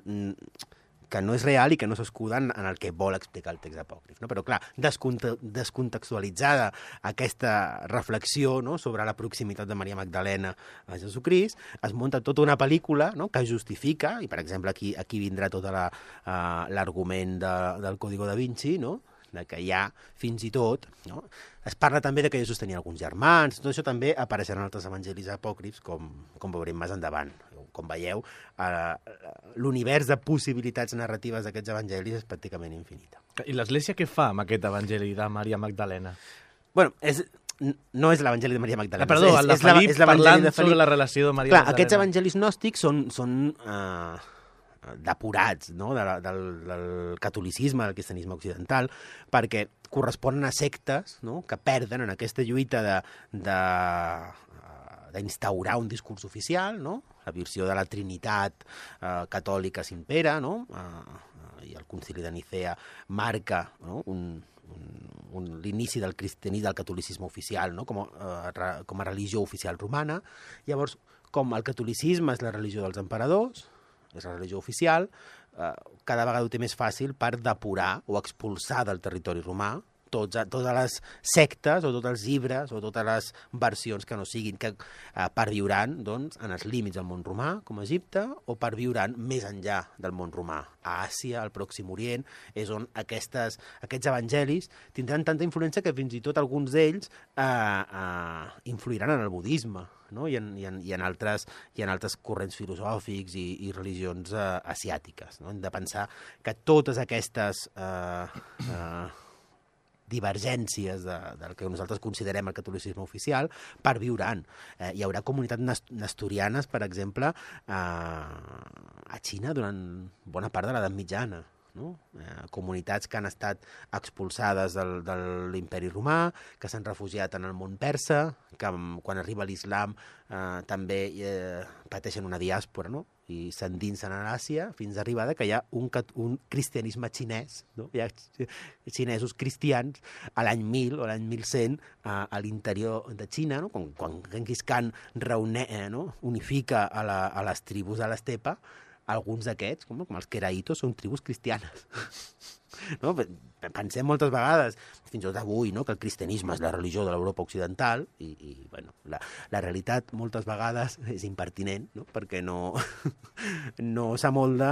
que no és real i que no s'escuda en, en el que vol explicar el text apòcrif. No? Però, clar, desconte descontextualitzada aquesta reflexió, no?, sobre la proximitat de Maria Magdalena a Jesucrist, es munta tota una pel·lícula, no?, que justifica, i per exemple aquí, aquí vindrà tot l'argument la, uh, de, del Código da Vinci, no?, de que hi ha fins i tot, no? Es parla també de que Jesús tenia alguns germans, tot això també apareixerà en altres evangelis apòcrifs, com, com veurem més endavant. Com veieu, eh, l'univers de possibilitats narratives d'aquests evangelis és pràcticament infinita. I l'Església què fa amb aquest Evangeli de Maria Magdalena? Bueno, és, no és l'Evangeli de Maria Magdalena. Ah, perdó, és, el de és la, Felip és parlant de Felip. sobre la relació de Maria Clar, Magdalena. aquests evangelis gnòstics són, són eh, depurats, no?, de la, del, del catolicisme, del cristianisme occidental, perquè corresponen a sectes, no?, que perden en aquesta lluita de... de d'instaurar un discurs oficial, no?, la versió de la Trinitat eh, catòlica s'impera, no?, eh, i el concili de Nicea marca, no?, un, un, un, l'inici del cristianisme, del catolicisme oficial, no?, com a, eh, com a religió oficial romana. Llavors, com el catolicisme és la religió dels emperadors, és la religió oficial, eh, cada vegada ho té més fàcil per depurar o expulsar del territori romà tots, totes les sectes o tots els llibres o totes les versions que no siguin, que eh, perviuran, doncs, en els límits del món romà, com a Egipte, o perviuran més enllà del món romà. A Àsia, al Pròxim Orient, és on aquestes, aquests evangelis tindran tanta influència que fins i tot alguns d'ells eh, eh, influiran en el budisme, no? I, en, i, en, i, en altres, i en altres corrents filosòfics i, i religions eh, asiàtiques. No? Hem de pensar que totes aquestes... Eh, eh, divergències de, del que nosaltres considerem el catolicisme oficial perviuran. Eh, hi haurà comunitats nestorianes, per exemple, eh, a Xina durant bona part de l'edat mitjana. No? Eh, comunitats que han estat expulsades del, de l'imperi romà, que s'han refugiat en el món persa, que quan arriba l'islam eh, també eh, pateixen una diàspora, no? i s'endinsen a l'Àsia fins a arribar que hi ha un, un cristianisme xinès, no? Hi ha xinesos cristians a l'any mil o l'any mil cent a, a l'interior de Xina, no? quan, quan Genghis Khan reune, eh, no? unifica a, la, a les tribus de l'estepa, alguns d'aquests, com, com els queraitos, són tribus cristianes. No? Pensem moltes vegades, fins i tot avui, no? que el cristianisme és la religió de l'Europa occidental i, i bueno, la, la realitat moltes vegades és impertinent, no? perquè no, no s'amolda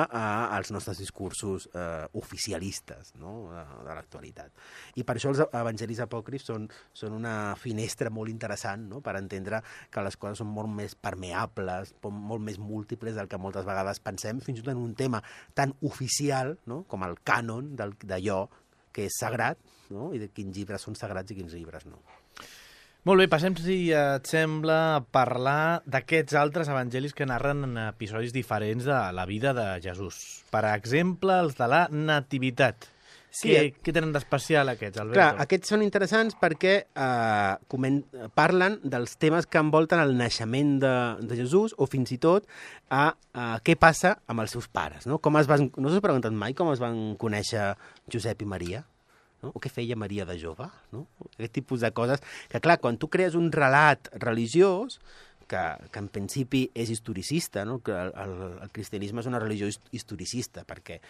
als nostres discursos eh, oficialistes, no? de, de l'actualitat. I per això els evangelis apòcrifs són, són una finestra molt interessant, no? per entendre que les coses són molt més permeables, molt més múltiples del que moltes vegades pensem, fins i tot en un tema tan oficial, no? com el cànon d'allò que és sagrat, no? i de quins llibres són sagrats i quins llibres no. Molt bé, passem, si et sembla, a parlar d'aquests altres evangelis que narren en episodis diferents de la vida de Jesús. Per exemple, els de la Nativitat. Sí, què, què tenen d'especial aquests, Alberto? Clar, aquests són interessants perquè eh, coment, parlen dels temes que envolten el naixement de, de Jesús o fins i tot a, a què passa amb els seus pares. No, com es van, no us heu preguntat mai com es van conèixer Josep i Maria? No? O què feia Maria de jove? No? Aquest tipus de coses que, clar, quan tu crees un relat religiós, que, que en principi és historicista, no? que el, el, el cristianisme és una religió historicista perquè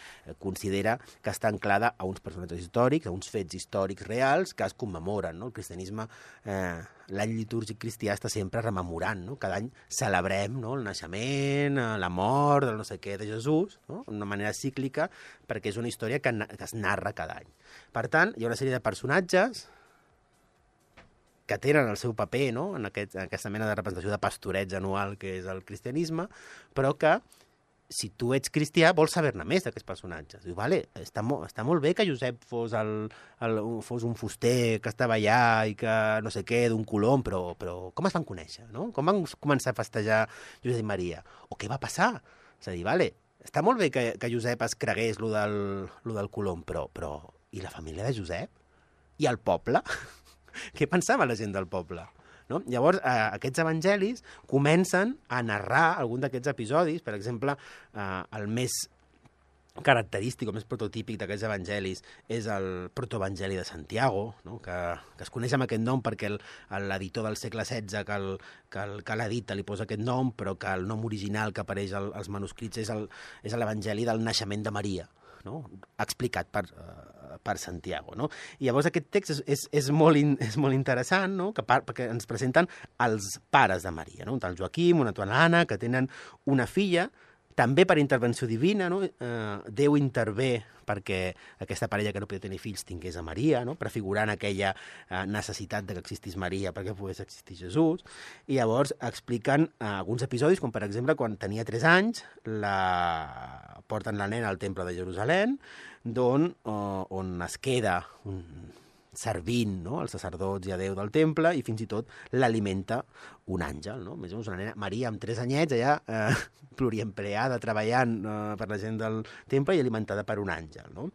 considera que està anclada a uns personatges històrics, a uns fets històrics reals que es commemoren. No? El cristianisme, eh, l'any litúrgic cristià està sempre rememorant, no? Cada any celebrem, no? el naixement, la mort, el no sé què de Jesús, no? d'una manera cíclica, perquè és una història que, que es narra cada any. Per tant, hi ha una sèrie de personatges que tenen el seu paper, no? en, aquest, en aquesta mena de representació de pastoreig anual que és el cristianisme, però que si tu ets cristià vols saber-ne més d'aquests personatges. Diu, vale, està, mo està molt bé que Josep fos, el, el, fos un fuster que estava allà i que no sé què, d'un colom, però, però com es van conèixer? No? Com van començar a festejar Josep i Maria? O què va passar? És a dir, vale, està molt bé que, que Josep es cregués lo del, lo del colom, però, però i la família de Josep? I el poble? Què pensava la gent del poble? No? Llavors, eh, aquests evangelis comencen a narrar algun d'aquests episodis. Per exemple, eh, el més característic o més prototípic d'aquests evangelis és el protoevangeli de Santiago, no? que, que es coneix amb aquest nom perquè l'editor del segle setze que, el, que, el, que l'edita li posa aquest nom, però que el nom original que apareix al, als manuscrits és l'evangeli del naixement de Maria, no? explicat per, uh, per Santiago. No? I llavors aquest text és, és, és, molt, in, és molt interessant, no? que par, perquè ens presenten els pares de Maria, no? un tal Joaquim, una tal Anna, que tenen una filla, també per intervenció divina, no? eh, Déu intervé perquè aquesta parella que no podia tenir fills tingués a Maria, no? prefigurant aquella eh, necessitat de que existís Maria perquè pogués existir Jesús. I llavors expliquen eh, alguns episodis, com per exemple quan tenia tres anys, la... porten la nena al temple de Jerusalem, d'on eh, on es queda un... servint, no? als sacerdots i a Déu del temple, i fins i tot l'alimenta un àngel, no? Més o menys una nena, Maria amb tres anyets, allà eh, pluriempleada, treballant eh, per la gent del temple i alimentada per un àngel, no?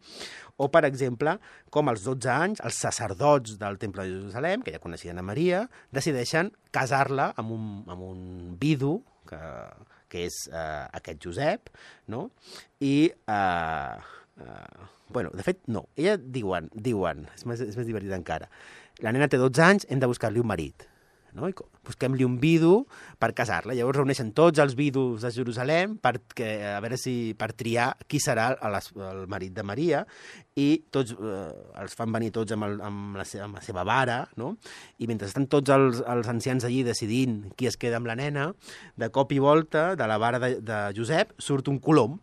O, per exemple, com als dotze anys, els sacerdots del temple de Jerusalem, que ja coneixien a Maria, decideixen casar-la amb un, amb un vidu, que, que és eh, aquest Josep, no? I... Eh, Uh, bueno, de fet, no. Ella diuen, diuen és més, és més divertit encara. La nena té dotze anys, hem de buscar-li un marit. No? I busquem-li un vidu per casar-la. Llavors reuneixen tots els vidus de Jerusalem per, que, a veure si, per triar qui serà el, el marit de Maria, i tots eh, els fan venir tots amb, el, amb, la seva, amb la seva vara, no? I mentre estan tots els, els ancians allí decidint qui es queda amb la nena, de cop i volta, de la vara de, de Josep, surt un colom.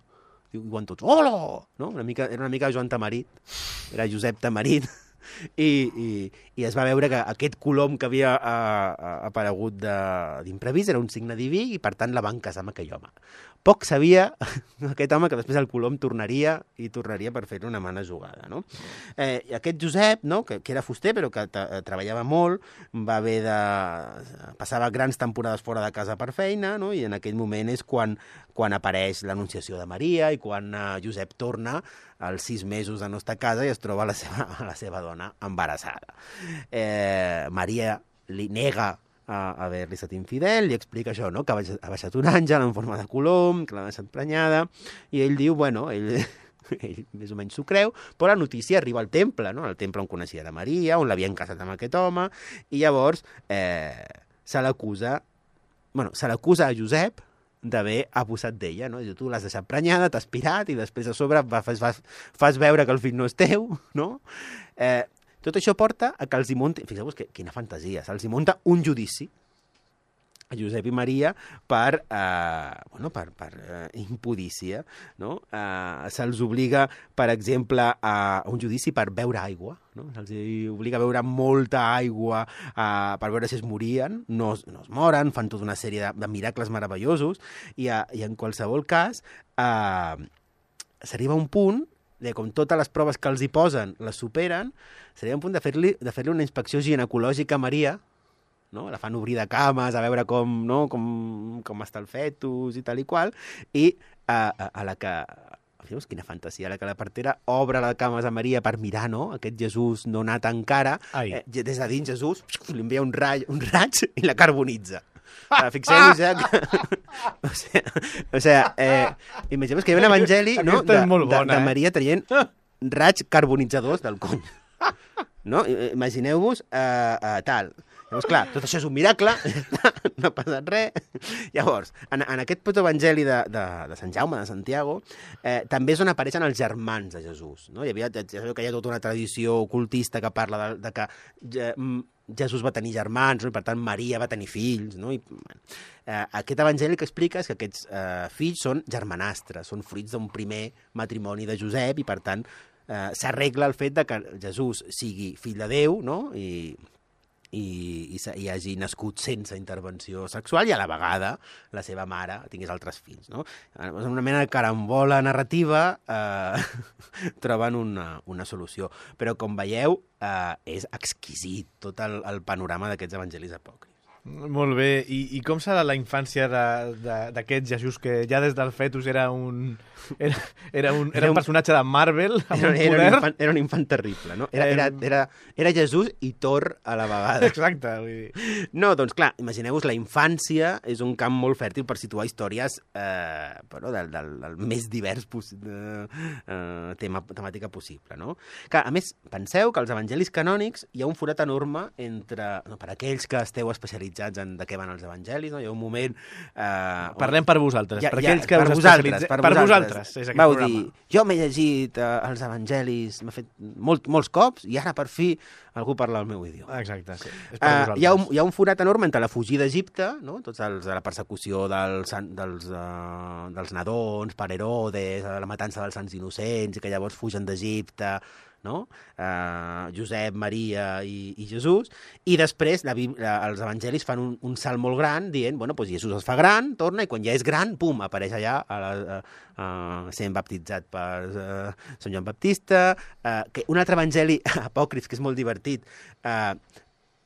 I diuen tots, hola! No? Una mica, era una mica Joan Tamarit, era Josep Tamarit, i, i, i es va veure que aquest colom que havia a, a, aparegut d'imprevist era un signe diví i, per tant, la van casar amb aquell home. Poc sabia aquest home que després el colom tornaria i tornaria per fer una mala jugada. No? Eh, i aquest Josep, no? que, que era fuster però que treballava molt, va haver de... passava grans temporades fora de casa per feina, no? I en aquell moment és quan, quan apareix l'anunciació de Maria i quan eh, Josep torna als sis mesos de no estar a casa i es troba la seva, la seva dona embarassada. Eh, Maria li nega a haver-li estat infidel, li explica això, no? Que ha baixat, ha baixat un àngel en forma de colom, que l'ha deixat prenyada, i ell diu, bueno, ell, ell més o menys s'ho creu, però la notícia arriba al temple, no? Al temple on coneixia la Maria, on l'havien casat amb aquest home, i llavors eh, se l'acusa, bueno, se l'acusa a Josep d'haver abusat d'ella, no? Tu l'has deixat prenyada, t'has pirat, i després a sobre fas, fas, fas veure que el fill no és teu, no? Eh, Tot això porta a que els hi munti... Fixeu-vos que, quina fantasia. Se'ls hi munta un judici a Josep i Maria per, eh, bueno, per, per eh, impudícia. No? Eh, se'ls obliga, per exemple, a un judici per beure aigua. No? Se'ls obliga a beure molta aigua eh, per veure si es morien. No, no es moren, fan tota una sèrie de, de miracles meravellosos. I, a, i en qualsevol cas, eh, s'arriba a un punt de com totes les proves que els hi posen les superen, seria un punt de fer-li de fer-li una inspecció ginecològica a Maria, no? La fan obrir de cames a veure com, no? com, com està el fetus i tal i qual, i a, a, a la que... Fixeu-vos quina fantasia, a la que la partera obre les cames a Maria per mirar, no? Aquest Jesús no nat encara, eh, des de dins Jesús li envia un, raig, un raig i la carbonitza. Uh, Fixeu-vos ja que... o sigui, o sigui eh, imagineu que hi ha un evangeli, no? de, bona, de, de Maria traient raig carbonitzadors del cony. No? Imagineu-vos uh, uh, tal. Llavors, clar, tot això és un miracle, no ha passat res. Llavors, en, en aquest protoevangeli de, de, de Sant Jaume, de Santiago, eh, també és on apareixen els germans de Jesús. No? Hi havia, ja sabeu que hi ha tota una tradició ocultista que parla de, de que ja, Jesús va tenir germans, no? I per tant Maria va tenir fills. No? I, eh, aquest evangeli que explica és que aquests eh, fills són germanastres, són fruits d'un primer matrimoni de Josep i per tant eh, s'arregla el fet de que Jesús sigui fill de Déu, no? I... i, i, i hagi nascut sense intervenció sexual i a la vegada la seva mare tingués altres fills. No? En una mena de carambola narrativa eh, troben una, una solució. Però, com veieu, eh, és exquisit tot el, el panorama d'aquests evangelis apòcrifs. Molt bé. I, i com serà la infància d'aquest Jesús, que ja des del fetus era un, era, era un, era un personatge de Marvel, amb era, un era, poder? Un infant, era un infant terrible, no? Era, era, era, era Jesús i Thor a la vegada. Exacte. Vull dir. No, doncs clar, imagineu-vos, la infància és un camp molt fèrtil per situar històries eh, bueno, del, del, del més divers de, eh, tema, temàtica possible, no? Clar, a més, penseu que als evangelis canònics hi ha un forat enorme entre, no, per aquells que esteu especialitzats en de què van els evangelis, no? Hi ha un moment... Eh, Parlem per vosaltres, ja, per ja, aquells que per us vosaltres, per, per per vosaltres. vosaltres és aquest Vau programa. dir, jo m'he llegit eh, els evangelis, m'ha fet molt, molts cops, i ara per fi algú parla el meu idioma. Exacte, sí. És per Uh, vosaltres. hi, ha un, hi ha un forat enorme entre la fugida d'Egipte, no? Tots els de la persecució dels, dels, uh, dels nadons per Herodes, la matança dels sants innocents, i que llavors fugen d'Egipte, no? Uh, Josep, Maria i, i Jesús, i després la, la, els evangelis fan un, un salt molt gran dient, bueno, doncs Jesús es fa gran, torna, i quan ja és gran, pum, apareix allà a la, a, a, sent baptitzat per uh, Sant Joan Baptista, uh, que un altre evangeli apòcrif, que és molt divertit, uh,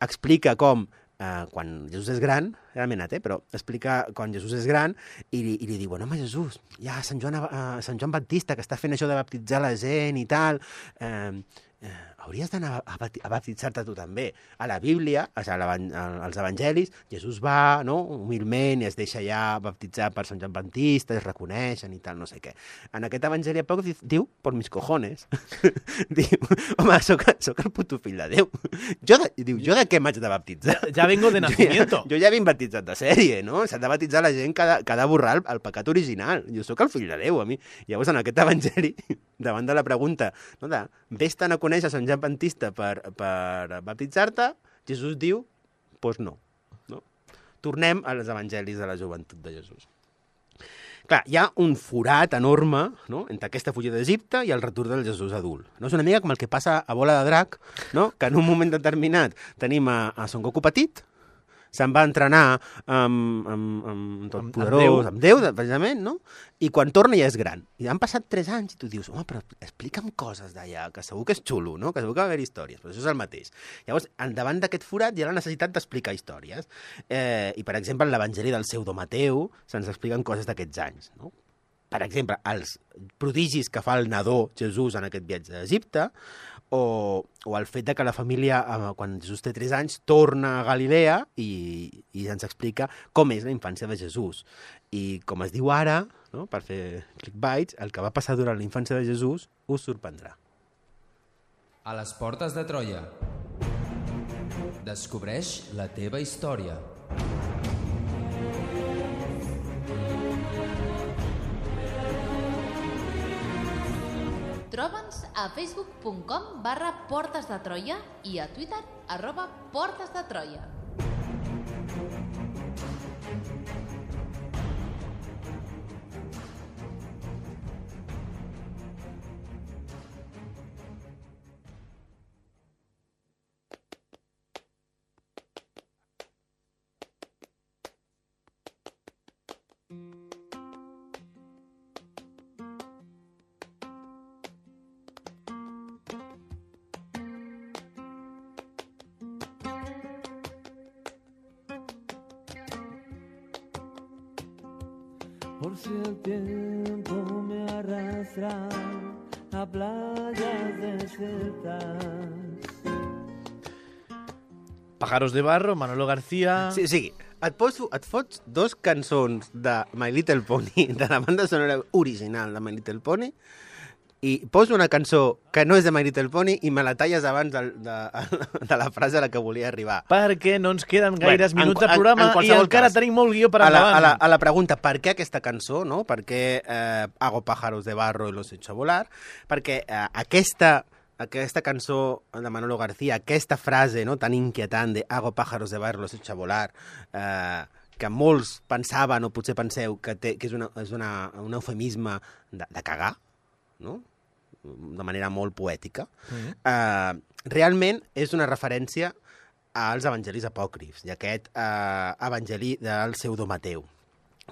explica com Uh, quan Jesús és gran, era menat, eh? Però explica quan Jesús és gran i li, i li diu, bueno, home, Jesús, hi ha Sant Joan, uh, Sant Joan Baptista que està fent això de baptitzar la gent i tal, eh, eh, hauries d'anar a, a baptitzar-te tu també. A la Bíblia, o sigui, als evangelis, Jesús va, no?, humilment, i es deixa ja baptitzar per Sant Joan Baptista, es reconeixen i tal, no sé què. En aquest evangeli apòcrif diu, por mis cojones, diu, home, soc, soc el puto fill de Déu. Jo de, diu, jo de què m'haig de baptitzar? Ja vengo de nacimiento. Jo ja, jo ja vinc baptitzat de sèrie, no? S'ha de baptitzar la gent que ha de, que ha de borrar el, el pecat original. Jo sóc el fill de Déu, a mi. Llavors, en aquest evangeli, davant de la pregunta, no, de vés-te'n a conèixer Sant Joan Baptista per, per baptitzar-te, Jesús diu, doncs pues no, no. Tornem als evangelis de la joventut de Jesús. Clar, hi ha un forat enorme, no?, entre aquesta fugida d'Egipte i el retorn del Jesús adult. No? És una mica com el que passa a Bola de Drac, no?, que en un moment determinat tenim a, a Son Goku petit, se'n va entrenar amb, amb, amb tot amb, poderós, amb Déu, amb Déu, precisament, no? I quan torna ja és gran. I han passat tres anys i tu dius, home, però explica'm coses d'allà, que segur que és xulo, no? Que segur que va haver històries, però això és el mateix. Llavors, davant d'aquest forat hi ha la necessitat d'explicar històries. Eh, I, per exemple, en l'Evangeli del Pseudo Mateu se'ns expliquen coses d'aquests anys, no? Per exemple, els prodigis que fa el nadó Jesús en aquest viatge d'Egipte, o, o el fet de que la família, quan Jesús té tres anys, torna a Galilea i, i ens explica com és la infància de Jesús. I com es diu ara, no, per fer clickbaits, el que va passar durant la infància de Jesús us sorprendrà. A les portes de Troia. Descobreix la teva història. Troba'ns a facebook punt com barra Portes de Troia i a Twitter arroba Portes de Troia. Por si el tiempo me arrastra a playas desiertas. Pájaros de Barro, Manolo García... Sí, o sigui, et, poso, et fots dos cançons de My Little Pony, de la banda sonora original de My Little Pony, i poso una cançó que no és de My Little Pony i me la talles abans de, de, de la frase a la que volia arribar. Perquè no ens queden gaires Bueno, minuts en- de programa en- en i qualsevol encara cas, tenim molt guió per A la, endavant. a, la, a la pregunta, per què aquesta cançó, no? Per què eh, Hago pájaros de barro y los echo a volar? Perquè eh, aquesta, aquesta cançó de Manolo García, aquesta frase no, tan inquietant de Hago pájaros de barro y los echo a volar, eh, que molts pensaven, o potser penseu, que, té, que és, una, és una, un eufemisme de, de cagar, no? De manera molt poètica, mm-hmm. eh, realment és una referència als evangelis apòcrifs i aquest eh, evangeli del Pseudo Mateu,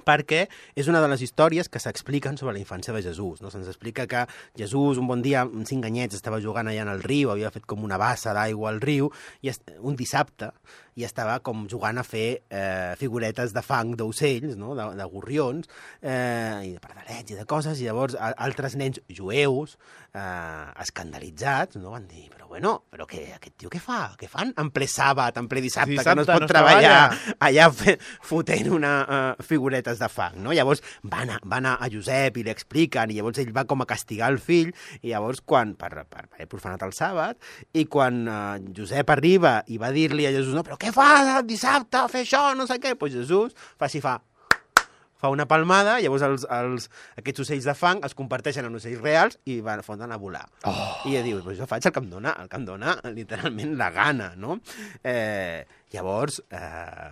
perquè és una de les històries que s'expliquen sobre la infància de Jesús. No? Se'ns explica que Jesús, un bon dia, amb cinc anyets, estava jugant allà en el riu, havia fet com una bassa d'aigua al riu, i un dissabte, i estava com jugant a fer eh, figuretes de fang d'ocells, no? de, de gorrions, eh, i de pardalets i de coses, i llavors a, altres nens jueus, eh, escandalitzats, no? Van dir, però bueno, però què, aquest tio què fa? Què fan en ple sàbat, en ple dissabte, Dissabte que no es pot no es treballar treballa. allà fe, fotent una uh, figuretes de fang, no? Llavors van a, van a, a Josep i li expliquen, i llavors ell va com a castigar el fill, i llavors quan, per, per, per haver profanat el sàbat, i quan uh, Josep arriba i va dir-li a Jesús, no, però què fas dissabte a fer això, no sé què, doncs Jesús fa si fa, fa una palmada, llavors els, els, aquests ocells de fang es converteixen en ocells reals i van foten a volar. Oh. I ella diu, pues jo faig el que em dona, el que em dona literalment la gana, no? Eh, llavors, eh,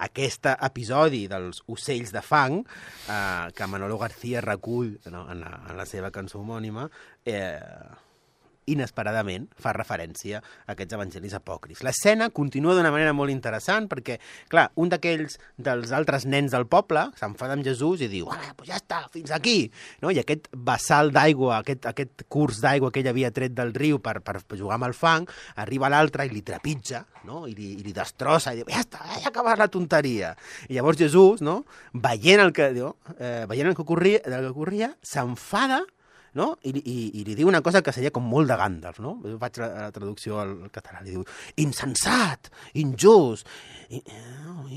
aquest episodi dels ocells de fang, eh, que Manolo García recull no, en, la, en la seva cançó homònima, eh, inesperadament fa referència a aquests evangelis apòcrifs. L'escena continua d'una manera molt interessant perquè, clar, un d'aquells dels altres nens del poble s'enfada amb Jesús i diu, ah, pues ja està, fins aquí, no? I aquest vessal d'aigua, aquest, aquest curs d'aigua que ell havia tret del riu per, per jugar amb el fang, arriba l'altre i li trepitja, no? I li, i li destrossa i diu, ja està, ja ha acabat la tonteria. I llavors Jesús, no? Veient el que, no? eh, veient el que ocorria, el que ocorria s'enfada, no? I, i, i li diu una cosa que seria com molt de Gandalf, no? Jo faig la, la traducció al català, li diu insensat, injust,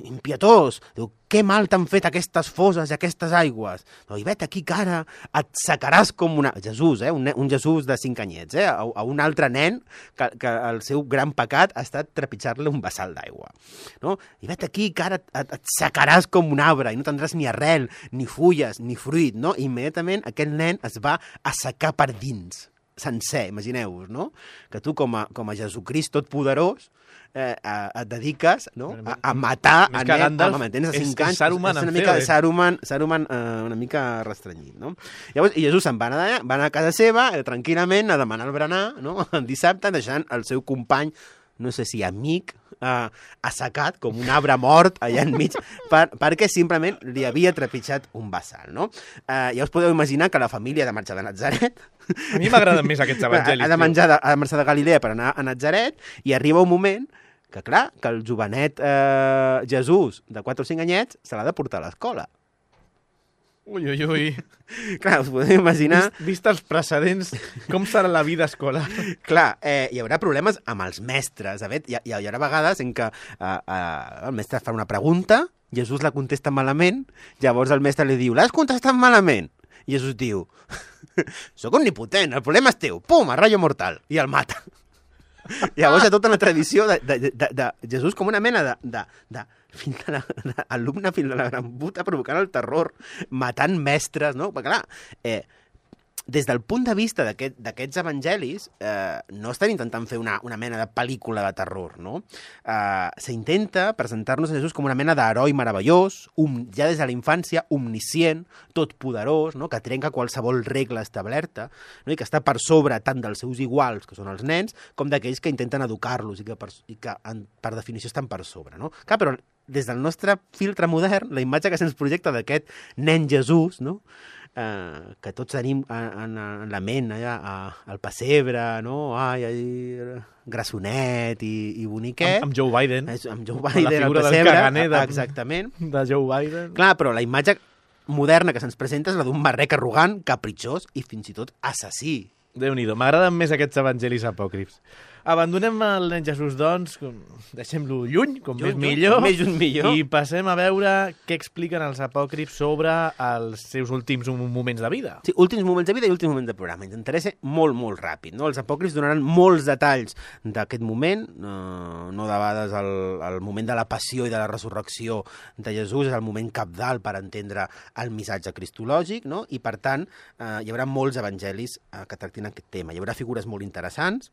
impietós, diu, què mal t'han fet aquestes foses i aquestes aigües? No, i vet aquí que ara et secaràs com una... Jesús, eh? un, un Jesús de cinc anyets, eh? a, a un altre nen que, que el seu gran pecat ha estat trepitjar-li un vessal d'aigua. No? I vet aquí que ara et, et secaràs com un arbre i no tindràs ni arrel, ni fulles, ni fruit. No? I immediatament aquest nen es va assecar per dins, sencer, imagineu-vos, no? Que tu com a, com a Jesucrist totpoderós eh, et dediques no? a, a matar Més a que nen, Gandalf, home, tens és- cinc anys, és Saruman és una en mica feo, eh? Saruman, Saruman eh, una mica restrenyit, no? Llavors, i Jesús se'n va anar, va anar a casa seva, eh, tranquil·lament, a demanar el berenar, no? El dissabte, deixant el seu company, no sé si amic, eh, assecat com un arbre mort allà enmig, per, perquè simplement li havia trepitjat un vessal, no? Eh, ja us podeu imaginar que la família ha de marxar de Natzaret. A mi m'agraden més aquests evangelis. Ha de tio. menjar de, ha de marxar de Galilea per anar a Natzaret i arriba un moment que, clar, que el jovenet eh, Jesús, de quatre o cinc anyets, se l'ha de portar a l'escola. Ui, ui, ui. Clar, us podeu imaginar... Vist, vist els precedents, com serà la vida escolar? Clar, eh, hi haurà problemes amb els mestres. A veure, hi, hi, hi haurà vegades en què eh, eh, el mestre fa una pregunta, Jesús la contesta malament, llavors el mestre li diu, l'has contestat malament? I Jesús diu, sóc omnipotent, el problema és teu. Pum, a rayo mortal. I el mata. Llavors hi ha tota una tradició de, de, de, de Jesús com una mena de... de, de fill de la, de, alumne fill de la gran puta provocant el terror, matant mestres, no? Perquè clar, eh, des del punt de vista d'aquest, d'aquests evangelis, eh, no estan intentant fer una, una mena de pel·lícula de terror, no? Eh, s'intenta presentar-nos a Jesús com una mena d'heroi meravellós, um, ja des de la infància, omniscient, totpoderós, no? Que trenca qualsevol regla establerta, no? I que està per sobre tant dels seus iguals, que són els nens, com d'aquells que intenten educar-los i que, per, i que en, per definició estan per sobre, no? Clar, però des del nostre filtre modern, la imatge que se'ns projecta d'aquest nen Jesús, no? Eh, que tots tenim en, en la ment, allà, al pessebre, no? Ai, ai, grassonet i, i boniquet. Amb, amb Joe Biden. És, amb Joe Biden, la al figura pessebre. del caganer de, exactament. De Joe Biden. Clar, però la imatge moderna que se'ns presenta és la d'un marrec arrogant, capritxós i fins i tot assassí. Déu-n'hi-do, m'agraden més aquests evangelis apòcrifs. Abandonem el nen Jesús, doncs, deixem-lo lluny, com Lluny, més lluny, millor, com més lluny millor. I passem a veure què expliquen els apòcrifs sobre els seus últims moments de vida. Sí, últims moments de vida i últims moments de programa. Intentaré ser molt, molt ràpid. No? Els apòcrifs donaran molts detalls d'aquest moment, eh, no de vegades el, el moment de la passió i de la resurrecció de Jesús és el moment cabdal per entendre el missatge cristològic, no? I per tant eh, hi haurà molts evangelis eh, que tractin aquest tema. Hi haurà figures molt interessants,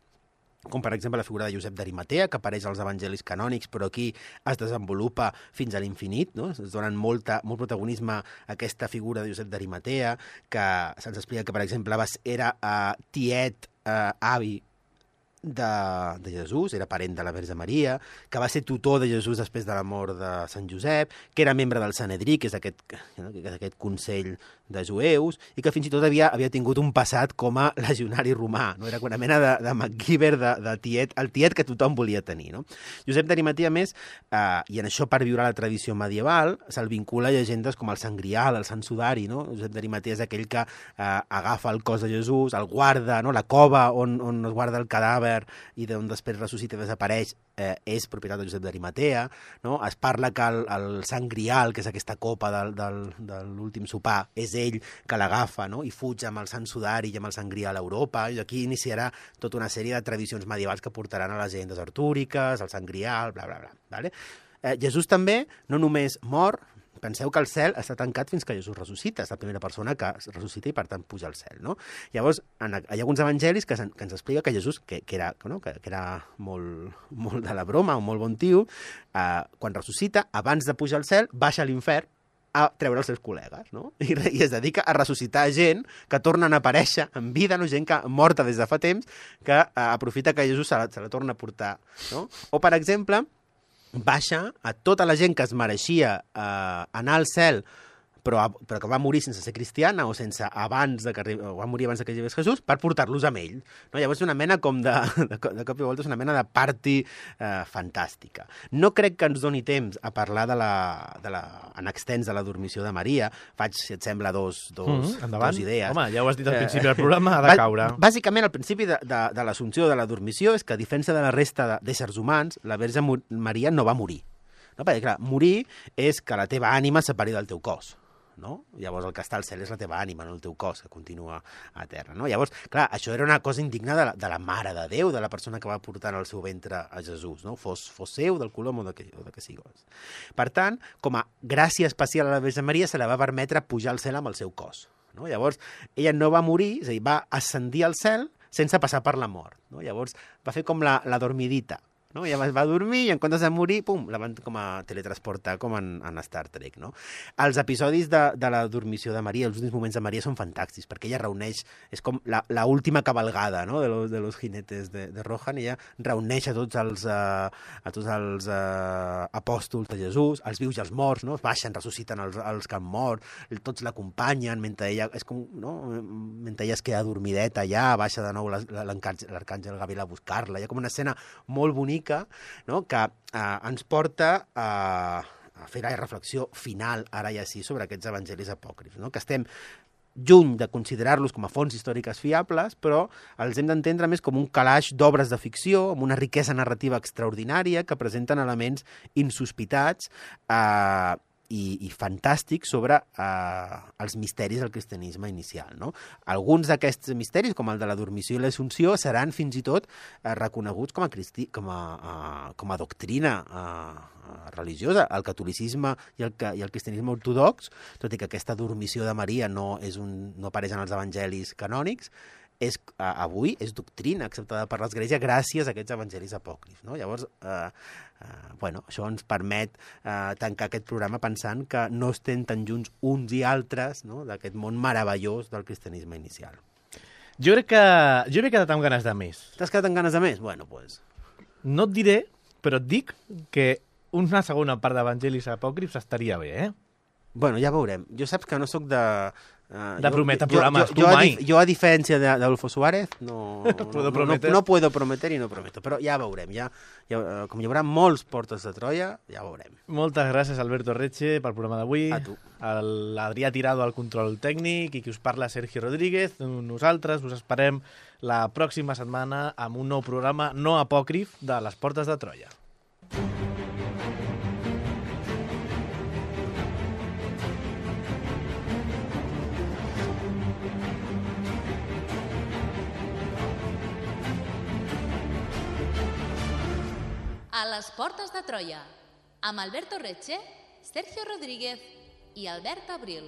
com per exemple la figura de Josep d'Arimatea, que apareix als evangelis canònics, però aquí es desenvolupa fins a l'infinit, no? Es donen molta, molt protagonisme a aquesta figura de Josep d'Arimatea, que se'ns explica que, per exemple, era uh, tiet, uh, avi de, de Jesús, era parent de la Verge Maria, que va ser tutor de Jesús després de la mort de Sant Josep, que era membre del Sanedrí, que és aquest, que és aquest consell de jueus, i que fins i tot havia, havia tingut un passat com a legionari romà, no? Era una mena de, de MacGyver, de, de tiet, el tiet que tothom volia tenir, no? Josep d'Arimatea, més, eh, i en això per viure la tradició medieval, se'l vincula a llegendes com el Sant Grial, el Sant Sudari, no? Josep d'Arimatea és aquell que eh, agafa el cos de Jesús, el guarda, no? La cova on, on es guarda el cadàver i d'on després ressuscita i desapareix, eh, és propietat de Josep d'Arimatea, no? Es parla que el, el Sant Grial, que és aquesta copa del, del, de l'últim sopar, és ell que l'agafa, no? I fuig amb el Sant Sudari i amb el Sant Grial a Europa, i aquí iniciarà tota una sèrie de tradicions medievals que portaran a les llegendes artúriques, al Sant Grial, bla, bla, bla. Vale? Eh, Jesús també no només mor, penseu que el cel està tancat fins que Jesús ressuscita, és la primera persona que ressuscita i per tant puja al cel, no? Llavors, en, hi ha alguns evangelis que, que ens explica que Jesús, que, que, era, no? que, que era molt, molt de la broma, un molt bon tio, eh, quan ressuscita, abans de pujar al cel, baixa a l'infern a treure els seus col·legues, no? I, I es dedica a ressuscitar gent que tornen a aparèixer en vida, no? Gent que morta des de fa temps, que eh, aprofita que Jesús se la, se la torna a portar, no? O, per exemple, baixa a tota la gent que es mereixia eh, anar al cel, però, però que va morir sense ser cristiana o sense abans de que arribi, o va morir abans de que arribés Jesús, per portar-los amb ell. No? Llavors és una mena com de, de, de cop i volta, és una mena de party eh, fantàstica. No crec que ens doni temps a parlar de la, de la, en extens de la dormició de Maria. Faig, si et sembla, dos, dos, mm, dos idees. Home, ja ho has dit al principi del programa, ha de caure. Bàsicament, al principi de, de, de l'assumpció de la dormició és que, a diferència de la resta d'éssers humans, la Verge Maria no va morir. No? Perquè, clar, morir és que la teva ànima es separi del teu cos. No? Llavors el que està al cel és la teva ànima, no el teu cos, que continua a terra. No? Llavors, clar, això era una cosa indigna de la, de la Mare de Déu, de la persona que va portar al seu ventre a Jesús, no? Fos, fos seu, del colom o de que, o de que siguis. Per tant, com a gràcia especial a la Verge Maria, se la va permetre pujar al cel amb el seu cos. No? Llavors, ella no va morir, és a dir, va ascendir al cel sense passar per la mort. No? Llavors, va fer com la, la dormidita. No? Ja va dormir i en comptes de morir, pum, la van com a teletransportar com en, en Star Trek. No? Els episodis de, de la dormició de Maria, els últims moments de Maria són fantàstics, perquè ella reuneix, és com la, la última cabalgada, no? de, los, de los jinetes de, de Rohan, i ella reuneix a tots els, uh, a tots els uh, apòstols de Jesús, els vius i els morts, no? Baixen, ressusciten els, els que han mort, tots l'acompanyen, mentre ella, és com, no? mentre ella es queda dormideta allà, baixa de nou l'arcàngel Gabriel a buscar-la, hi ha com una escena molt bonica, no? que eh, ens porta a, a fer la reflexió final, ara ja sí, sobre aquests evangelis apòcrifs, no? Que estem lluny de considerar-los com a fonts històriques fiables, però els hem d'entendre més com un calaix d'obres de ficció, amb una riquesa narrativa extraordinària que presenten elements insospitats eh, i, i fantàstics sobre eh, els misteris del cristianisme inicial, no? Alguns d'aquests misteris, com el de la dormició i l'assumpció, seran fins i tot eh, reconeguts com a, cristi com a, eh, com a doctrina eh, religiosa. El catolicisme i el, i el cristianisme ortodox, tot i que aquesta dormició de Maria no, és un, no apareix en els evangelis canònics, és, uh, avui és doctrina acceptada per l'Església gràcies a aquests evangelis apòcrifs, no? Llavors, uh, uh, bueno, això ens permet uh, tancar aquest programa pensant que no estem tan junts uns i altres, no?, d'aquest món meravellós del cristianisme inicial. Jo crec que jo m'he quedat amb ganes de més. T'has quedat amb ganes de més? Bueno, doncs... Pues... No et diré, però et dic que una segona part d'evangelis apòcrifs estaria bé, eh? Bueno, ja veurem. Jo saps que no sóc de... Uh, de prometre jo, programes, jo, tu jo, mai. Jo, a, a diferència d'Adolfo Suárez, no, no, puedo no, no, no puedo prometer i no prometo, però ja veurem. Ja, ja, com hi haurà molts portes de Troia, ja veurem. Moltes gràcies, Alberto Reche, pel programa d'avui. A tu. L'Adrià Tirado al control tècnic i qui us parla, Sergio Rodríguez. Nosaltres us esperem la pròxima setmana amb un nou programa no apòcrif de les portes de Troia. A les portes de Troia, amb Alberto Reche, Sergio Rodríguez i Albert Abril.